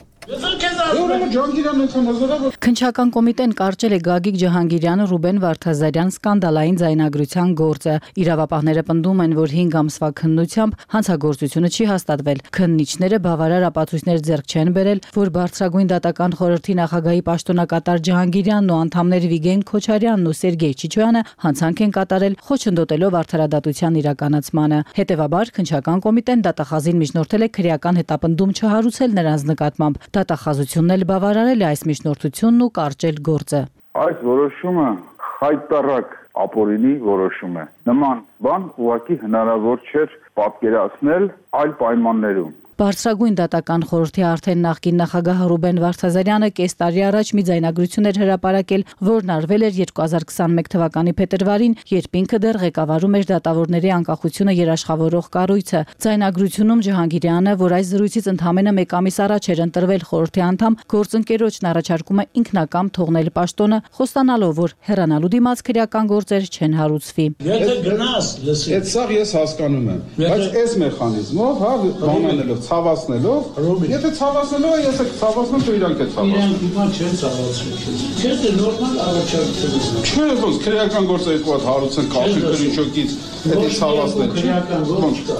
Քննչական կոմիտեն կարճել է Գագիկ Ջհանգիրյանը, Ռուբեն Վարդազարյան սկանդալային ձայնագրության գործը։ Իրավապահները պնդում են, որ հինգ ամսվա քննությամբ հանցագործությունը չի հաստատվել։ Քննիչները բավարար ապացույցներ ձեռք չեն բերել, որ Բարձրագույն դատական խորհրդի նախագահի պաշտոնակատար Ջհանգիրյանն ու անդամներ Վիգեն Քոչարյանն ու Սերգեյ Չիչոյանը հանցանք են կատարել, խոչընդոտելով արդարադատության իրականացմանը։ Հետևաբար քննչական կոմիտեն դատախազին միջնորդել է քրեական հետապնդում չհարուցել նրանց նկատմամբ։ Դատախազությունն էլ բավարարել է այս միջնորդությունն ու կարճել գործը։ Այս որոշումը խայտառակ ապօրինի որոշում է։ Նման բան ուղղակի հնարավոր չէր պատկերացնել այլ պայմաններում։ Բարձրագույն դատական խորհրդի արդեն նախկին նախագահ Ռուբեն Վարդազարյանը կես տարի առաջ մի ձայնագրություն էր հրապարակել, որն արվել էր երկու հազար քսաներկու թվականի փետրվարին, երբ ինքը դեռ ղեկավարում էր դատավորների անկախությունը երաշխավորող կառույցը։ Ձայնագրությունում Ջհանգիրյանը, որ այս զրույցից ընդամենը մեկ ամիս առաջ էր ընտրվել խորհրդի անդամ, գործընկերոջն առաջարկում է ինքնակամ թողնել պաշտոնը, խոստանալով, որ հեռանալու դիմաց քրեական գործեր չեն հարուցվի։ Եթե գնաս, լսի։ Այդ սա ես հասկանում եմ, բայց այս մեխանիզմով, հա, բանանելով ցավացնելով, եթե ցավացնելով է, ես ցավացնում, դու իրանք է ցավացնում։ Իրանք հիմա չեն ցավացնում։ Չէ՞ թե նորմալ առաջարկություն է։ Չէ, ոնց քրեական գործը երկու հատ հարուցեն կախի քրիչոկից, դա ցավացնել չի։ Քրեական գործ կա։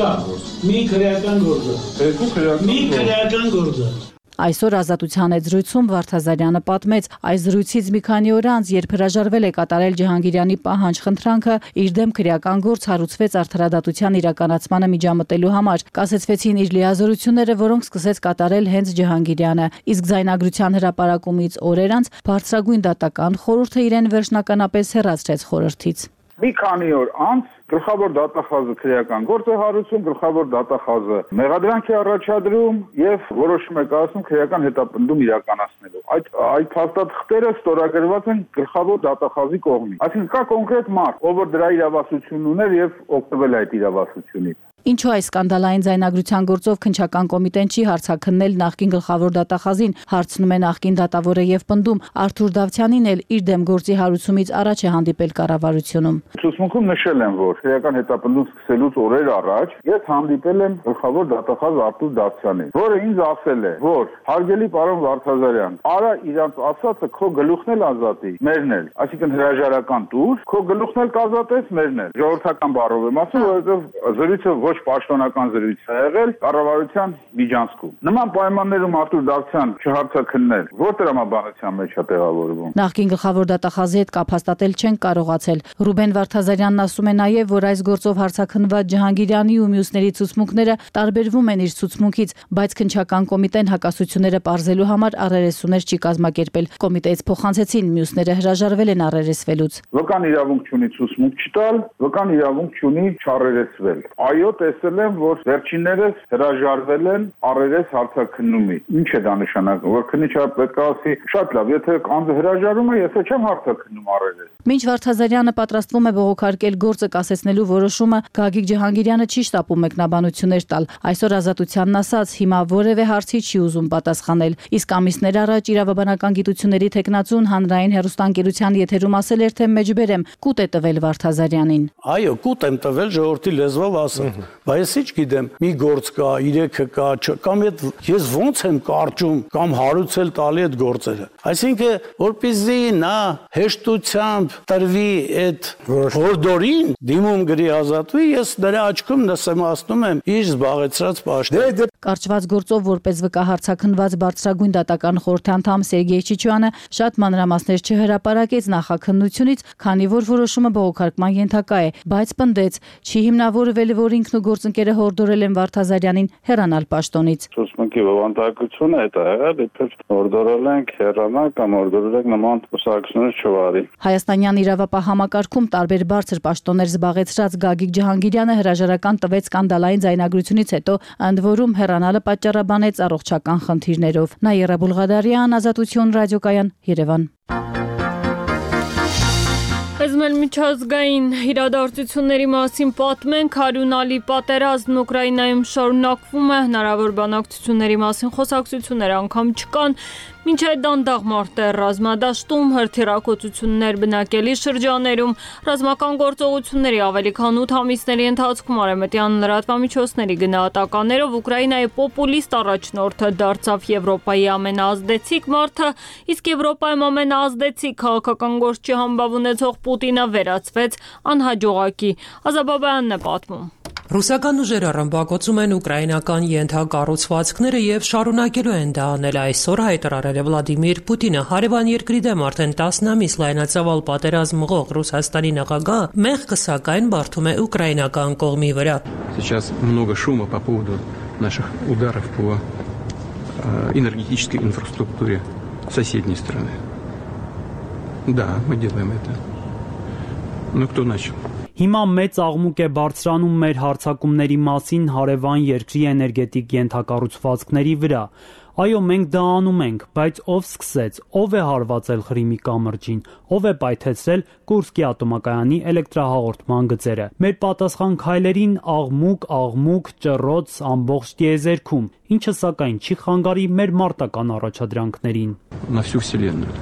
Կա։ Մի քրեական գործ է։ Երկու քրեական։ Մի քրեական գործ է։ Այսօր Ազատության հետ զրույցում Վարդազարյանը պատմեց, այս զրույցից մի քանի օր անց, երբ հրաժարվել է կատարել Ջհանգիրյանի պահանջ խնդրանքը, իր դեմ քրեական գործ հարուցվեց արդարադատության իրականացմանը միջամտելու համար։ Կասեցվեցին իր լիազորությունները, որոնք սկսեց կատարել հենց Ջհանգիրյանը։ Իսկ ձայնագրության հրապարակումից օրեր անց Բարձրագույն դատական խորհուրդը իրեն վերջնականապես հեռացրեց խորհրդից։ Մի քանի օր անց գլխավոր դատախազը քրեական գործ է հարուցում, գլխավոր դատախազը մեղադրանք է առաջադրում եւ որոշում է կայացնում քրեական հետապնդում իրականացնելու։ Այդ այդ փաստաթղթերը ստորագրված են գլխավոր դատախազի կողմից։ Այսինքն կա կոնկրետ մարդ, ով որ դրա իրավասությունն ուներ եւ օգտվել այդ իրավասությունից։ Ինչու այս սկանդալային ձայնագրության գործով քննչական կոմիտեն չի հարցաքննել նախկին գլխավոր դատախազին, հարցնում է նախկին դատավորը եւ պնդում Արթուր Դավթյանին էլ իր դեմ գործի հարուցումից առաջ է հանդիպել կառավարությունում։ Ցուցմունքում նշել եմ, որ քրեական հետապնդում սկսելուց օրեր առաջ ես հանդիպել եմ գլխավոր դատախազ Արթուր Դավթյանին, որը ինձ ասել է, որ հարգելի պարոն Վարդազարյան, արա իրանց ասածը քո գլուխն էլ ազատի, մերն էլ, այսինքն հրաժարական տուր, քո գլուխն էլ կազատես, մերն էլ։ Ժողովրդական բառով եմ ասում, որովհետեւ զրույցը ոչ պաշտոնական զրույց է եղել կառավարության միջանցքում։ Նման պայմաններում Արթուր Դավթյան չհարցաքննել, որ տրամաբանության մեջ է տեղավորվում։ Նախկին գլխավոր դատախազի հետ կապ հաստատել չեն կարողացել։ Ռուբեն Վարդազարյանն ասում է նաև, որ այս գործով հարցաքննված Ջհանգիրյանի ու մյուսների ցուցմունքները տարբերվում են իր ցուցմունքից, բայց քննչական կոմիտեն հակասությունները պարզելու համար առերեսուներ չի կազմակերպել։ Կոմիտեից փոխանցեցին, մյուսները հրաժարվել են առերեսվելուց։ Վկան իրավունք չունի ցուցմունք չտալ, վկան իրավունք չունի չառերեսվել։ Այո, տեսել եմ, որ վերջիններս հրաժարվել են առերես հարցաքննումից։ Ինչ է դա նշանակում, որ քննիչը պետք է ասի, շատ լավ, եթե անձը հրաժարում է, ես չեմ հարցաքննում առերես։ Մինչ Վարդազարյանը պատրաստվում է բողոքարկել գործը կասեցնելու որոշումը, Գագիկ Ջհանգիրյանը չի շտապում մեկնաբանություններ տալ։ Այսօր Ազատությանն ասաց, հիմա որևէ հարցի չի ուզում պատասխանել։ Իսկ ամիսներ առաջ իրավաբանական գիտությունների թեկնածուն հանրային հեռուստաընկերության եթերում ասել էր, թե մեջբերեմ կուտ է տվել Վարդազարյանին։ Այո, կուտ եմ տվել ժողովրդի լեզվով ասեմ, բայց ես չգիտեմ, մի գործ կա, իրեքը կա, կամ այդ ես ոնց եմ կարճում կամ հարուցել տալի այդ գործերը։ Այսինքն, որպեսզի նա հեշտությամբ տրվի այդ հորդորին դիմում գրի ազատվի, ես նրա աչքում նսեմացնում եմ իր զբաղեցրած պաշտոնը։ Կարճված գործով որպես վկա հարցաքննված բարձրագույն դատական խորհրդի անդամ Սերգեյ Չիչյանը շատ մանրամասներ չհրապարակեց նախաքննությունից, քանի որ որոշումը բողոքարկման ենթակա է, բայց պնդեց, չի հիմնավորվել, որ ինքն ու գործընկերը հորդորել են Վարդազարյանին հեռանալ պաշտոնից։ Ցուցմունքի բովանդակությունը այդ է եղել, իբր հորդորել ենք հեռանա կամ հորդորել ենք նման կուսակցություններ չվարի։ Հայաստանյան իրավապահ համակարգում տարբեր բարձր պաշտոններ զբաղեցրած Գագիկ Ջհանգիրյանը հրաժարական տվեց սկանդալային ձայնագրությունից հետո, ընդ որում հեռանալը պատճառաբանեց առողջական խնդիրներով։ Նաիրա Բուլղադարյան, Ազատություն ռադիոկայան, Երևան։ Այժմ միջազգային իրադարձությունների մասին պատմենք, հարյունալի պատերազմն Ուկրաինայում շարունակվում է, հնարավոր բանակցությունների մասին խոսակցություններ անգամ չկան, մինչ այդ դանդաղ մարտեր ռազմադաշտում, հրթիռակոծություններ բնակելի շրջաներում, ռազմական գործողությունների ավելի քան ութ ամիսների ընթացքում արևմտյան լրատվամիջոցների գնահատականներով Ուկրաինայի պոպուլիստ առաջնորդը դարձավ Եվրոպայի ամենաազդեցիկ մարդը, իսկ Եվրոպայում ամենաազդեցիկ քաղաքական գործչի համբավ ունեցող Պուտինը վերածվեց անհաջողակի։ Ազաբաբյանն է պատմում։ Ռուսական ուժերը ռմբակոծում են ուկրաինական ենթակառուցվածքները եւ շարունակելու են դա անել այսօր հայտարարել է Վլադիմիր Պուտինը։ Հարևան երկրի դեմ արդեն տասն ամիս լայնածավալ պատերազմ մղող Ռուսաստանի նախագահ մեղքը սակայն բարդում է ուկրաինական կողմի վրա։ Сейчас много шума по поводу наших ударов по энергетической инфраструктуре соседней страны. Да, мы делаем это. Ну кто начал? Հիմա մեծ աղմուկ է բարձրանում մեր հարձակումների մասին հարևան երկրի էներգետիկ ենթակառուցվածքների վրա։ Այո, մենք դա անում ենք, բայց ով սկսեց, ով է հարվածել Ղրիմի կամրջին, ով է պայթեցրել Կուրսկի ատոմակայանի էլեկտրահաղորդման գծերը։ Մեր պատասխան քայլերին աղմուկ, աղմուկ, ճռոց ամբողջ տիեզերքում, ինչը սակայն չի խանգարի մեր մարտական առաջադրանքներին։ На всю вселенную.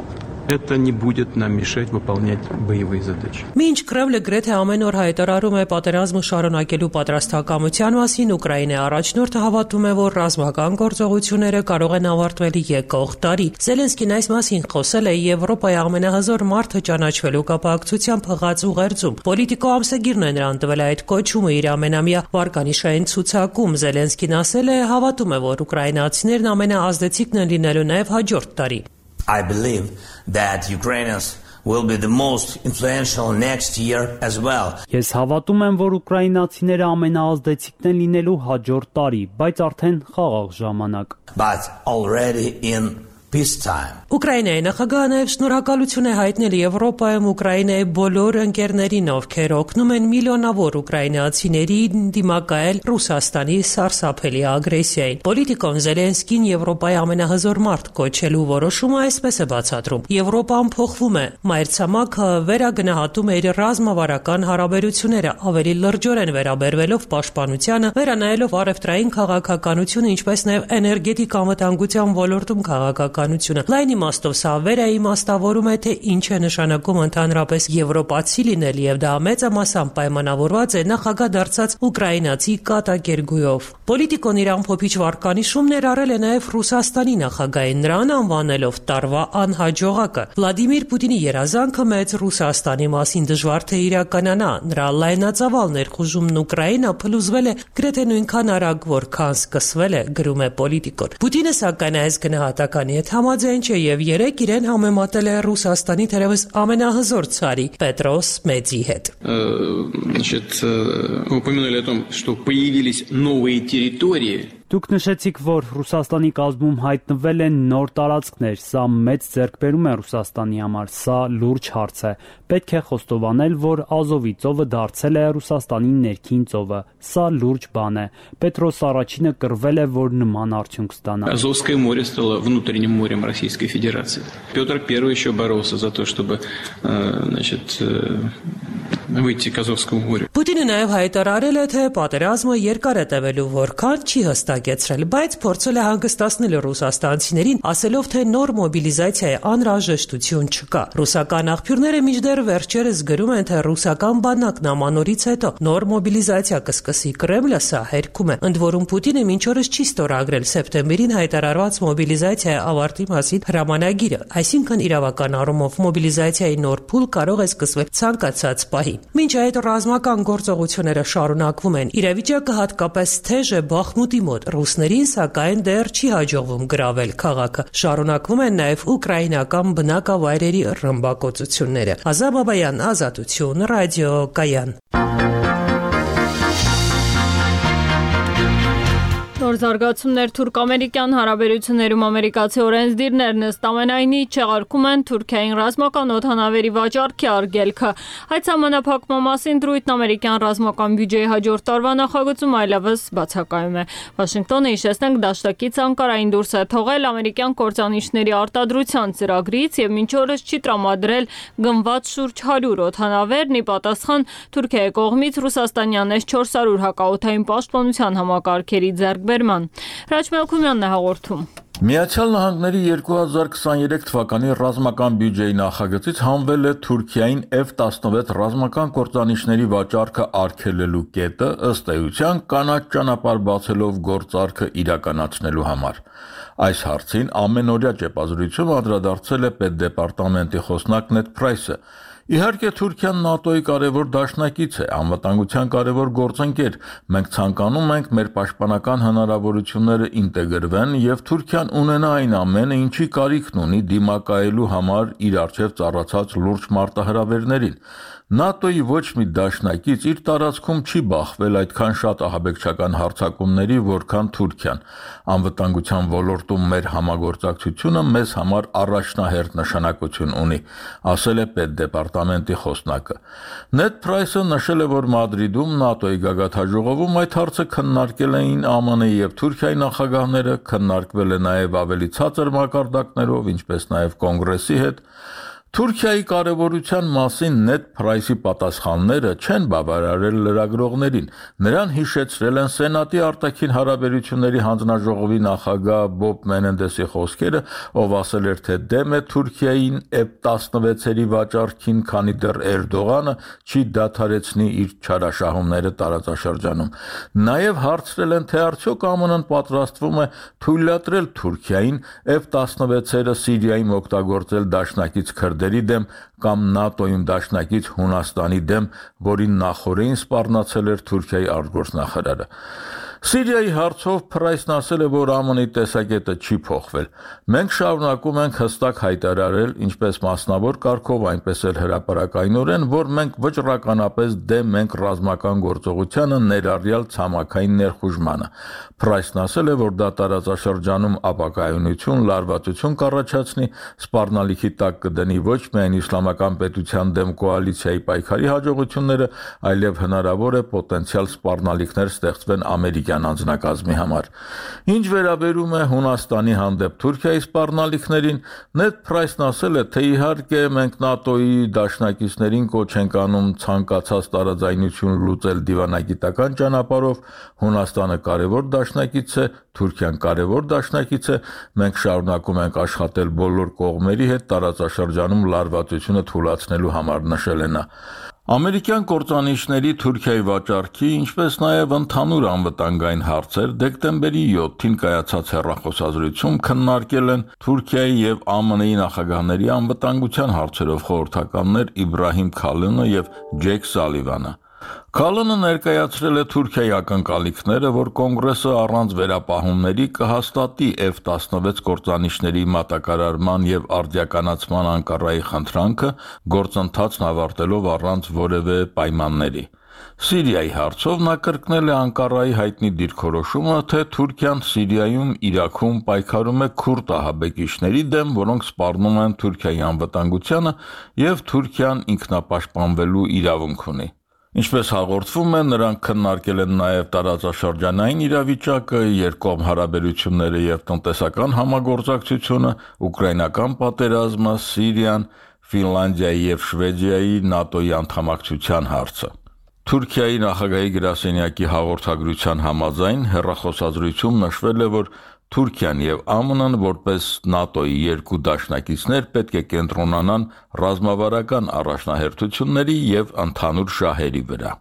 Это не будет нам мешать выполнять боевые задачи. Մինչ Կրեմլը գրեթե ամեն օր հայտարարում է պատերազմը շարունակելու պատրաստակամության մասին, Ուկրաինայի առաջնորդը հավատում է, որ ռազմական գործողությունները կարող են ավարտվել եկող տարի։ Զելենսկին այս մասին խոսել է Եվրոպայի ամենահզոր մարդը ճանաչվելու կապակցությամբ հղած ուղերձում։ Պոլիտիկո ամսագիրն է նրան տվել այդ կոչումը իր ամենամյա վարկանիշային ցուցակում։ Զելենսկին ասել է, հավատում է, որ ուկրաինացիներն ամենաազդեցիկն են լինելու նաև հաջորդ տարի։ I believe that Ukrainians will be the most influential next year as well. Ես հավատում եմ, որ ուկրաինացիները ամենաազդեցիկն են լինելու հաջորդ տարի, բայց արդեն խաղաղ ժամանակ։ But already in Ուկրաինայի նախագահը նաև շնորհակալություն է հայտնել Եվրոպայում Ուկրաինայի բոլոր ընկերներին, ովքեր օգնում են միլիոնավոր ուկրաինացիներին դիմակայել Ռուսաստանի սարսափելի ագրեսիային։ Պոլիտիկոն Զելենսկին Եվրոպայի ամենահզոր մարդ կոչելու որոշումը այսպես է բացատրում. Եվրոպան փոխվում է, մայրցամաքը վերագնահատում է իր ռազմավարական հարաբերությունները, ավելի լրջորեն վերաբերվելով պաշտպանությանը, վերանայելով առևտրային քաղաքականությունը, ինչպես նաև էներգետիկ անվտանգության ոլորտում քաղաքականությունը։ Լայն իմաստով սա վերաիմաստավորում է, թե ինչ է նշանակում ընդհանրապես եվրոպացի լինել, եւ դա մեծամասամբ պայմանավորված է նախագահ դարձած ուկրաինացի կատակերգույով։ Պոլիտիկոն իր ամփոփիչ վարկանիշում ներառել է նաև Ռուսաստանի նախագահին, նրան անվանելով տարվա անհաջողակը։ Վլադիմիր Պուտինի երազանքը մեծ Ռուսաստանի մասին դժվար թե իրականանա, նրա լայնածավալ ներխուժումն Ուկրաինա փլուզվել է գրեթե նույնքան արագ, որքան սկսվել է, գրում է Պոլիտիկոն։ Պուտինը սակայն այս գնահատականի հետ համաձայն չէ եւ երեք իրեն համեմատել է Ռուսաստանի թերևս ամենահզոր ցարի Պետրոս Մեծի հետ։ Значит, упомянули о том, что появились новые территории. Դուք նշեցիք, որ Ռուսաստանի կազմում հայտնվել են նոր տարածքներ, սա մեծ ձեռքբերում է Ռուսաստանի համար, սա լուրջ հարց է։ Պետք է խոստովանել, որ Ազովի ծովը դարձել է Ռուսաստանի ներքին ծովը, սա լուրջ բան է։ Պետրոս առաջինը կռվել է, որ նման արդյունք ստանա։ Азовское море стало внутренним морем Российской Федерации. Петр Первый еще боролся за то, чтобы, значит, выйти к Азовскому морю. Պուտինը նաև հայտարարել է, թե պատերազմը երկար է տևելու, որքան չի հստակեցրել, բայց փորձել է հանգստացնել ռուսաստանցիներին, ասելով, թե նոր մոբիլիզացիայի անհրաժեշտություն չկա։ Ռուսական աղբյուրները մինչդեռ վերջերս գրում են, թե ռուսական բանակն ամանորից հետո նոր մոբիլիզացիա կսկսի Կրեմլը, սա հերքում է։ Ընդ որում Պուտինը մինչ օրս չի ստորագրել սեպտեմբերին հայտարարված մոբիլիզացիայի ավարտի մասին հրամանագիրը, այսինքն իրավական առումով մոբիլիզացիայի նոր փուլ կարող է սկսվել ցանկացած պահի։ Մինչ այդ ռազմական գործողությունները շարունակվում են, իրավիճակը հատկապես թեժ է Բախմուտի մոտ, ռուսներին սակայն դեռ չի հաջողվում գրավել քաղաքը։ Շարունակվում են նաև ուկրաինական բնակավայրերի ռմբակոծությունները։ Ազատ Բաբայան, Ազատություն, ռադիո Կայան։ Նոր զարգացումներ թուրք-ամերիկյան հարաբերություններում ամերիկացի օրենսդիրներն ըստ ամենայնի չեղարկում են Թուրքիային ռազմական օդանավերի վաճառքի արգելքը։ Այդ սահմանափակման մասին դրույթն ամերիկյան ռազմական բյուջեի հաջորդ տարվա նախագծում այլևս բացակայում է։ Վաշինգտոնը, հիշեցնենք, դաշնակից Անկարային դուրս է թողել ամերիկյան կործանիչների արտադրության ծրագրից եւ մինչ օրս չի տրամադրել գնված շուրջ հարյուր օդանավեր՝ ի պատասխան Թուրքիայի կողմից ռուսաստանյան էս չորս հարյուր հակաօդային պաշտպանության համակարգերի ձեռքբերման։ Հրաչ Մելքումյանն է հաղորդում։ Միացյալ Նահանգների երկու հազար քսաներեք թվականի ռազմական բյուջեի նախագծից հանվել է Թուրքիային F տասնվեց ռազմական կործանիչների վաճառքը արգելելու կետը, ըստ էության կանաչ ճանապարհ բացելով գործարքը իրականացնելու համար։ Այս հարցին ամենօրյա ճեպազրույցում անդրադարձել է պետդեպարտամենտի խոսնակ Նեդ Պրայսը։ Իհարկե Թուրքիան ՆԱՏՕ-ի կարևոր դաշնակից է, անվտանգության կարևոր գործընկեր։ Մենք ցանկանում ենք մեր պաշտպանական հնարավորությունները ինտեգրվեն եւ Թուրքիան ունենա այն ամենը, ինչի կարիքն ունի դիմակայելու համար իր առջև ծառացած լուրջ մարտահրավերներին։ ՆԱՏՕ-ի ոչ մի դաշնակից իր տարածքում չի բախվել այդքան շատ ահաբեկչական հարձակումների, որքան Թուրքիան։ Անվտանգության ոլորտում մեր համագործակցությունը մեզ համար առաջնահերթ նշանակություն ունի, ասել է պետդեպարտամենտի խոսնակը։ Նեդ Պրայսը նշել է, որ Մադրիդում ՆԱՏՕ-ի գագաթնաժողովում այդ հարցը քննարկել էին ԱՄՆ-ի եւ Թուրքիայի նախագահները, քննարկվել է նաեւ ավելի ցածր մակարդակներով, ինչպես նաեւ Կոնգրեսի հետ։ Թուրքիայի կարևորության մասին Նեդ Պրայսի պատասխանները չեն բավարարել լրագրողներին։ Նրան հիշեցրել են Սենատի արտաքին հարաբերությունների հանձնաժողովի նախագահ Բոբ Մենենդեսի խոսքերը, ով ասել էր, թե դեմ է Թուրքիային F տասնվեցերի վաճառքին, քանի դեռ Էրդողանը չի դադարեցնի իր չարաշահումները տարածաշրջանում։ Նաև հարցրել են, թե արդյոք ԱՄՆ-ն պատրաստվում է թույլատրել Թուրքիային F տասնվեցերը Սիրիայում օգտագործել դաշնակից քրդերի դեմ կամ ՆԱՏՕ-ում դաշնակից Հունաստանի դեմ, որին նախորդին սպառնացել էր Թուրքիայի արտգործնախարարը։ Սիրիայի հարցով Փրայսն ասել է, որ ԱՄՆ-ի տեսակետը չի փոխվել։ Մենք շարունակում ենք հստակ հայտարարել, ինչպես մասնավոր կարգով, այնպես էլ հրապարակայնորեն, որ մենք վճռականապես դեմ ենք ռազմական գործողությանը, ներառյալ ցամաքային ներխուժմանը։ Փրայսն ասել է, որ դա տարածաշրջանում ապակայունություն, լարվածություն կառաջացնի, սպառնալիքի տակ կդնի ոչ միայն իսլամական պետության դեմ կոալիցիայի պայքարի հաջողությունները, այլև հնարավոր է պոտենցիալ սպառնալիքներ ստեղծվեն ամերիկյան անձնակազմի համար։ Ինչ վերաբերում է Հունաստանի հանդեպ Թուրքիայի սպառնալիքներին, Նեդ Փրայսն ասել է, թե իհարկե մենք ՆԱՏՕ-ի դաշնակիցներին կոչ ենք անում ցանկացած տարաձայնություն լուծել դիվանագիտական ճանապարհով, Հունաստանը կարևոր դաշնակից է, Թուրքիան կարևոր դաշնակից է, մենք շարունակում ենք աշխատել բոլոր կողմերի հետ տարածաշրջանում լարվածությունը թույլատնելու համար, նշել է նա։ Ամերիկյան կործանիչների Թուրքիայի վաճառքի, ինչպես նաև ընդհանուր անվտանգային հարցեր դեկտեմբերի յոթին կայացած հեռախոսազրույցում քննարկել են Թուրքիայի եւ ԱՄՆ-ի նախագահների անվտանգության հարցերով խորհրդականներ Իբրահիմ Քալինը եւ Ջեյք Սալիվանը։ Քալինը ներկայացրել է Թուրքիայի ակնկալիքները, որ կոնգրեսը առանց վերապահումների կհաստատի Էֆ տասնվեց կործանիչների մատակարարման եւ արդիականացման Անկարայի խնդրանքը, գործընթացն ավարտելով առանց որևէ պայմանների։ Սիրիայի հարցով նա կրկնել է Անկարայի հայտնի դիրքորոշումը, թե Թուրքիան Սիրիայում, Իրաքում պայքարում է քուրդ ահաբեկիչների դեմ, որոնք սպառնում են Թուրքիայի անվտանգությանը, եւ Թուրքիան ինքնապաշտպանվելու իրավունք ունի։ Ինչպես հաղորդվում է, նրանք քննարկել են նաև տարածաշրջանային իրավիճակը, երկկողմ հարաբերությունները եւ տնտեսական համագործակցությունը, ուկրաինական պատերազմը, Սիրիան, Ֆինլանդիայի եւ Շվեդիայի ՆԱՏՕ-ի անդամակցության հարցը։ Թուրքիայի նախագահի գրասենյակի հաղորդագրության համաձայն հեռախոսազրույցում նշվել է, որ Թուրքիան եւ ԱՄՆ-ն որպես ՆԱՏՕ-ի երկու դաշնակիցներ պետք է կենտրոնանան ռազմավարական առաջնահերթությունների եւ ընդհանուր շահերի վրա։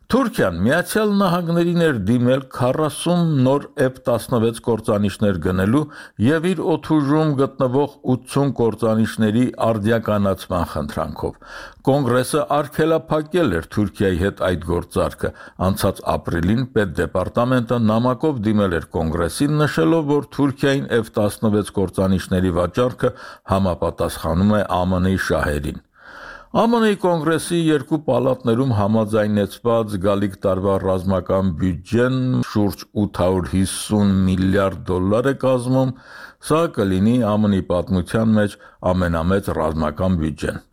Թուրքիան Միացյալ Նահանգներին էր դիմել քառասուն նոր Էֆ տասնվեց կործանիչներ գնելու եւ իր օդուժում գտնվող ութսուն կործանիչների արդիականացման խնդրանքով։ Կոնգրեսը արգելափակել էր Թուրքիայի հետ այդ գործարքը։ Անցած ապրիլին Պետդեպարտամենտը նամակով դիմել էր Կոնգրեսին, նշելով, որ Թուրքիային Էֆ տասնվեց կործանիչների վաճառքը համապատասխանում է ԱՄՆ-ի շահերին։ ԱՄՆ-ի կոնգրեսի երկու պալատներում համաձայնեցված գալիք տարվա ռազմական բյուջեն շուրջ ութ հարյուր հիսուն միլիարդ դոլար է կազմում, սա կլինի ԱՄՆ-ի պատմության մեջ ամենամեծ ռազմական բյուջեն։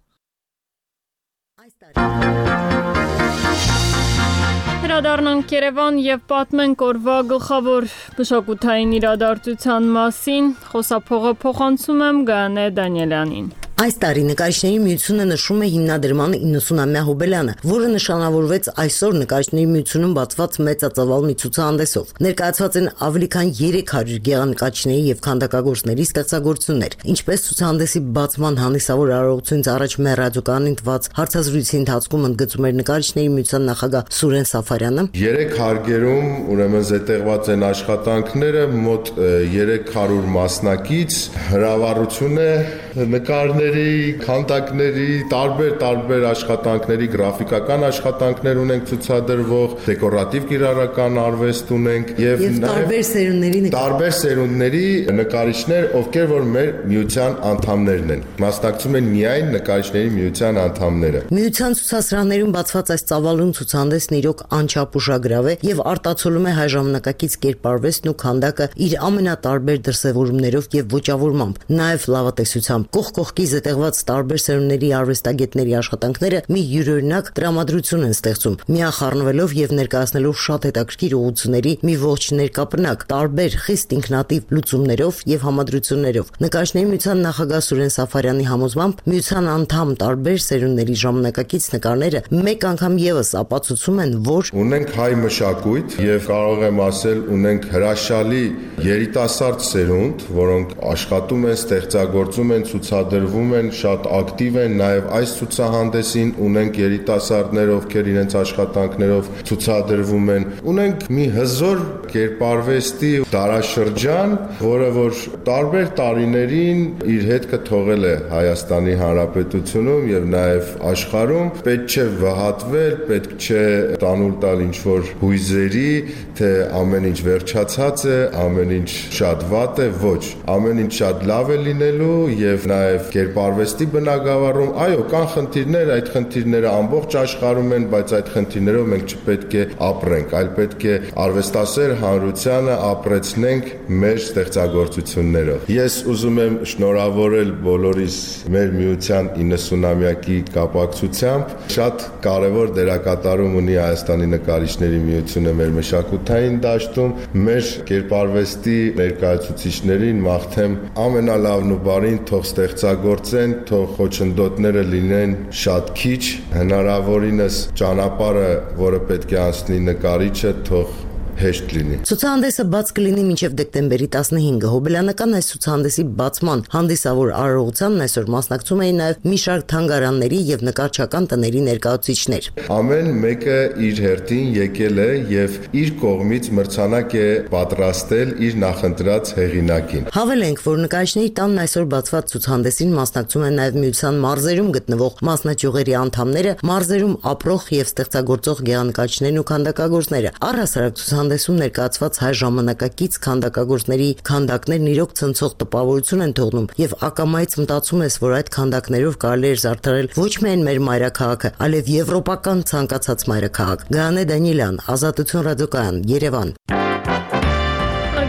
Հրադառնանք Երևան եւ պատմենք օրվա գլխավոր մշակութային իրադարձության մասին, խոսափողը փոխանցում եմ Գայանե Դանիելյանին։ Այս տարի նկարիչների միությունը նշում է հիմնադրման իննսունամյա հոբելյանը, որը նշանավորվեց այսօր նկարիչների միությունում բացված մեծածավալ մի ցուցահանդեսով։ Ներկայացված են ավելի քան երեք հարյուր գեղանկարիչների եւ քանդակագործների ստեղծագործություններ, ինչպես ցուցահանդեսի բացման հանդիսավոր արարողությունից առաջ մեր ռադիոկայանին տված հարցազրույցի ընթացքում ընդգծում էր նկարիչների միության նախագահ Սուրեն Սաֆարյանը։ Երեք հարգերում ուրեմն զետեղված են աշխատանքները մոտ երեք հարյուր մասնակից, հրավառություն է նկարների, քանդակների, տարբեր-տարբեր աշխատանքների, գրաֆիկական աշխատանքներ ունենք ցուցադրվող, դեկորատիվ կիրառական արվեստ ունենք եւ տարբեր սերունդների տարբեր սերունդների նկարիչներ, ովքեր որ մեր միության անդամներն են։ Մասնակցում են միայն նկարիչների միության անդամները։ Միության ցուցասրահներում բացված այս ծավալուն ցուցահանդեսն իրոք անչափ ուշագրավ է եւ արտացոլում է հայ ժամանակակից կերպարվեստն ու քանդակը իր ամենատարբեր դրսևորումներով եւ ոճավորմամբ, նաեւ լավատեսությամբ։ Կողք կողքի զետեղված տարբեր սերունդների արվեստագետների աշխատանքները մի յուրօրինակ տրամադրություն են ստեղծում, միախառնվելով եւ ներկայացնելով շատ հետաքրքիր ուղղությունների մի ողջ ներկապնակ, տարբեր խիստ ինքնատիպ լուծումներով եւ համադրություններով։ Նկարիչների միության նախագահ Սուրեն Սաֆարյանի համոզմամբ միության անդամ տարբեր սերունդների ժամանակակից նկարները մեկ անգամ եւս ապացուցում են, որ ունենք հայ մշակույթ եւ կարող եմ ասել ունենք հրաշալի երիտասարդ սերունդ, որոնք աշխատում են, ստեղծագործում են, ցուցադրվում են, շատ ակտիվ են, նաև այս ցուցահանդեսին ունենք երիտասարդներ, ովքեր իրենց աշխատանքներով ցուցադրվում են։ Ունենք մի հզոր կերպարվեստի դարաշրջան, որը որ տարբեր տարիներին իր հետքը թողել է Հայաստանի Հանրապետությունում եւ նաեւ աշխարհում, պետք չէ վհատվել, պետք չէ տանուլ տալ ինչ-որ հույզերի, թե ամեն ինչ վերջացած է, ամեն ինչ շատ վատ է, ոչ, ամեն ինչ շատ լավ է լինելու եւ նաեւ կերպարվեստի բնագավառում, այո, կան խնդիրներ, այդ խնդիրները ամբողջ աշխարհում են, բայց այդ խնդիրներով մենք չպետք է ապրենք, այլ պետք է արվեստասեր հանրությանը ապրեցնենք մեր ստեղծագործություններով։ Ես ուզում եմ շնորհավորել բոլորիս մեր միության իննսունամյակի կապակցությամբ, շատ կարևոր դերակատարում ունի Հայաստանի նկարիչների միությունը մեր մշակութային դաշտում, մեր կերպարվեստի ներկայացուցիչներին մաղթեմ ամենալավն ու բարին, թող ստեղծագործեն, թող խոչընդոտները լինեն շատ քիչ, հնարավորինս ճանապարհը, որը պետք է անցնի նկարիչը, թող հեշտ լինի։ Ցուցահանդեսը բաց կլինի մինչև դեկտեմբերի տասնհինգը։ Հոբելյանական այս ցուցահանդեսի բացման հանդիսավոր արարողությանն այսօր մասնակցում էին նաև մի շարք թանգարանների եւ նկարչական տների ներկայացուցիչներ։ Ամեն մեկը իր հերթին եկել է եւ իր կողմից մրցանակ է պատրաստել իր նախընտրած հեղինակին։ Հավելենք, որ նկարիչների տանն այսօր բացված ցուցահանդեսին մասնակցում են նաև միության մարզերում գտնվող մասնաճյուղերի անդամները, մարզերում ապրող եւ ստեղծագործող գեղանկարիչներն ու քանդակագործները։ Առհասարակ հանդեսում ներկայացված հայ ժամանակակից քանդակագործների քանդակներն իրոք ցնցող տպավորություն են թողնում եւ ակամայից մտածում ես, որ այդ քանդակներով կարելի է զարդարել ոչ միայն մեր մայրաքաղաքը, այլև եվրոպական ցանկացած մայրաքաղաք։ Գայանե Դանիելյան, Ազատություն ռադիոկայան, Երևան։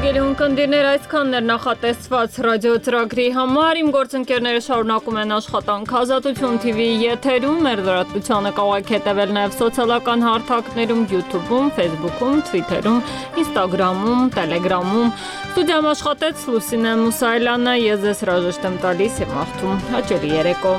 Հարգելի ունկնդիրներ, այսքանն էր նախատեսված ռադիոծրագրի համար։ Իմ գործընկերները շարունակում են աշխատանք Ազատություն թիվի եթերում, մեր լրատվությանը կարող եք հետևել նաև սոցիալական հարթակներում, YouTube-ում, Facebook-ում, Twitter-ում, Instagram-ում, Telegram-ում։ Ստուդիայում աշխատեց Լուսինե Մուսայելյանը, ես ձեզ հրաժեշտ եմ տալիս եւ մաղթում հաճելի երեկո։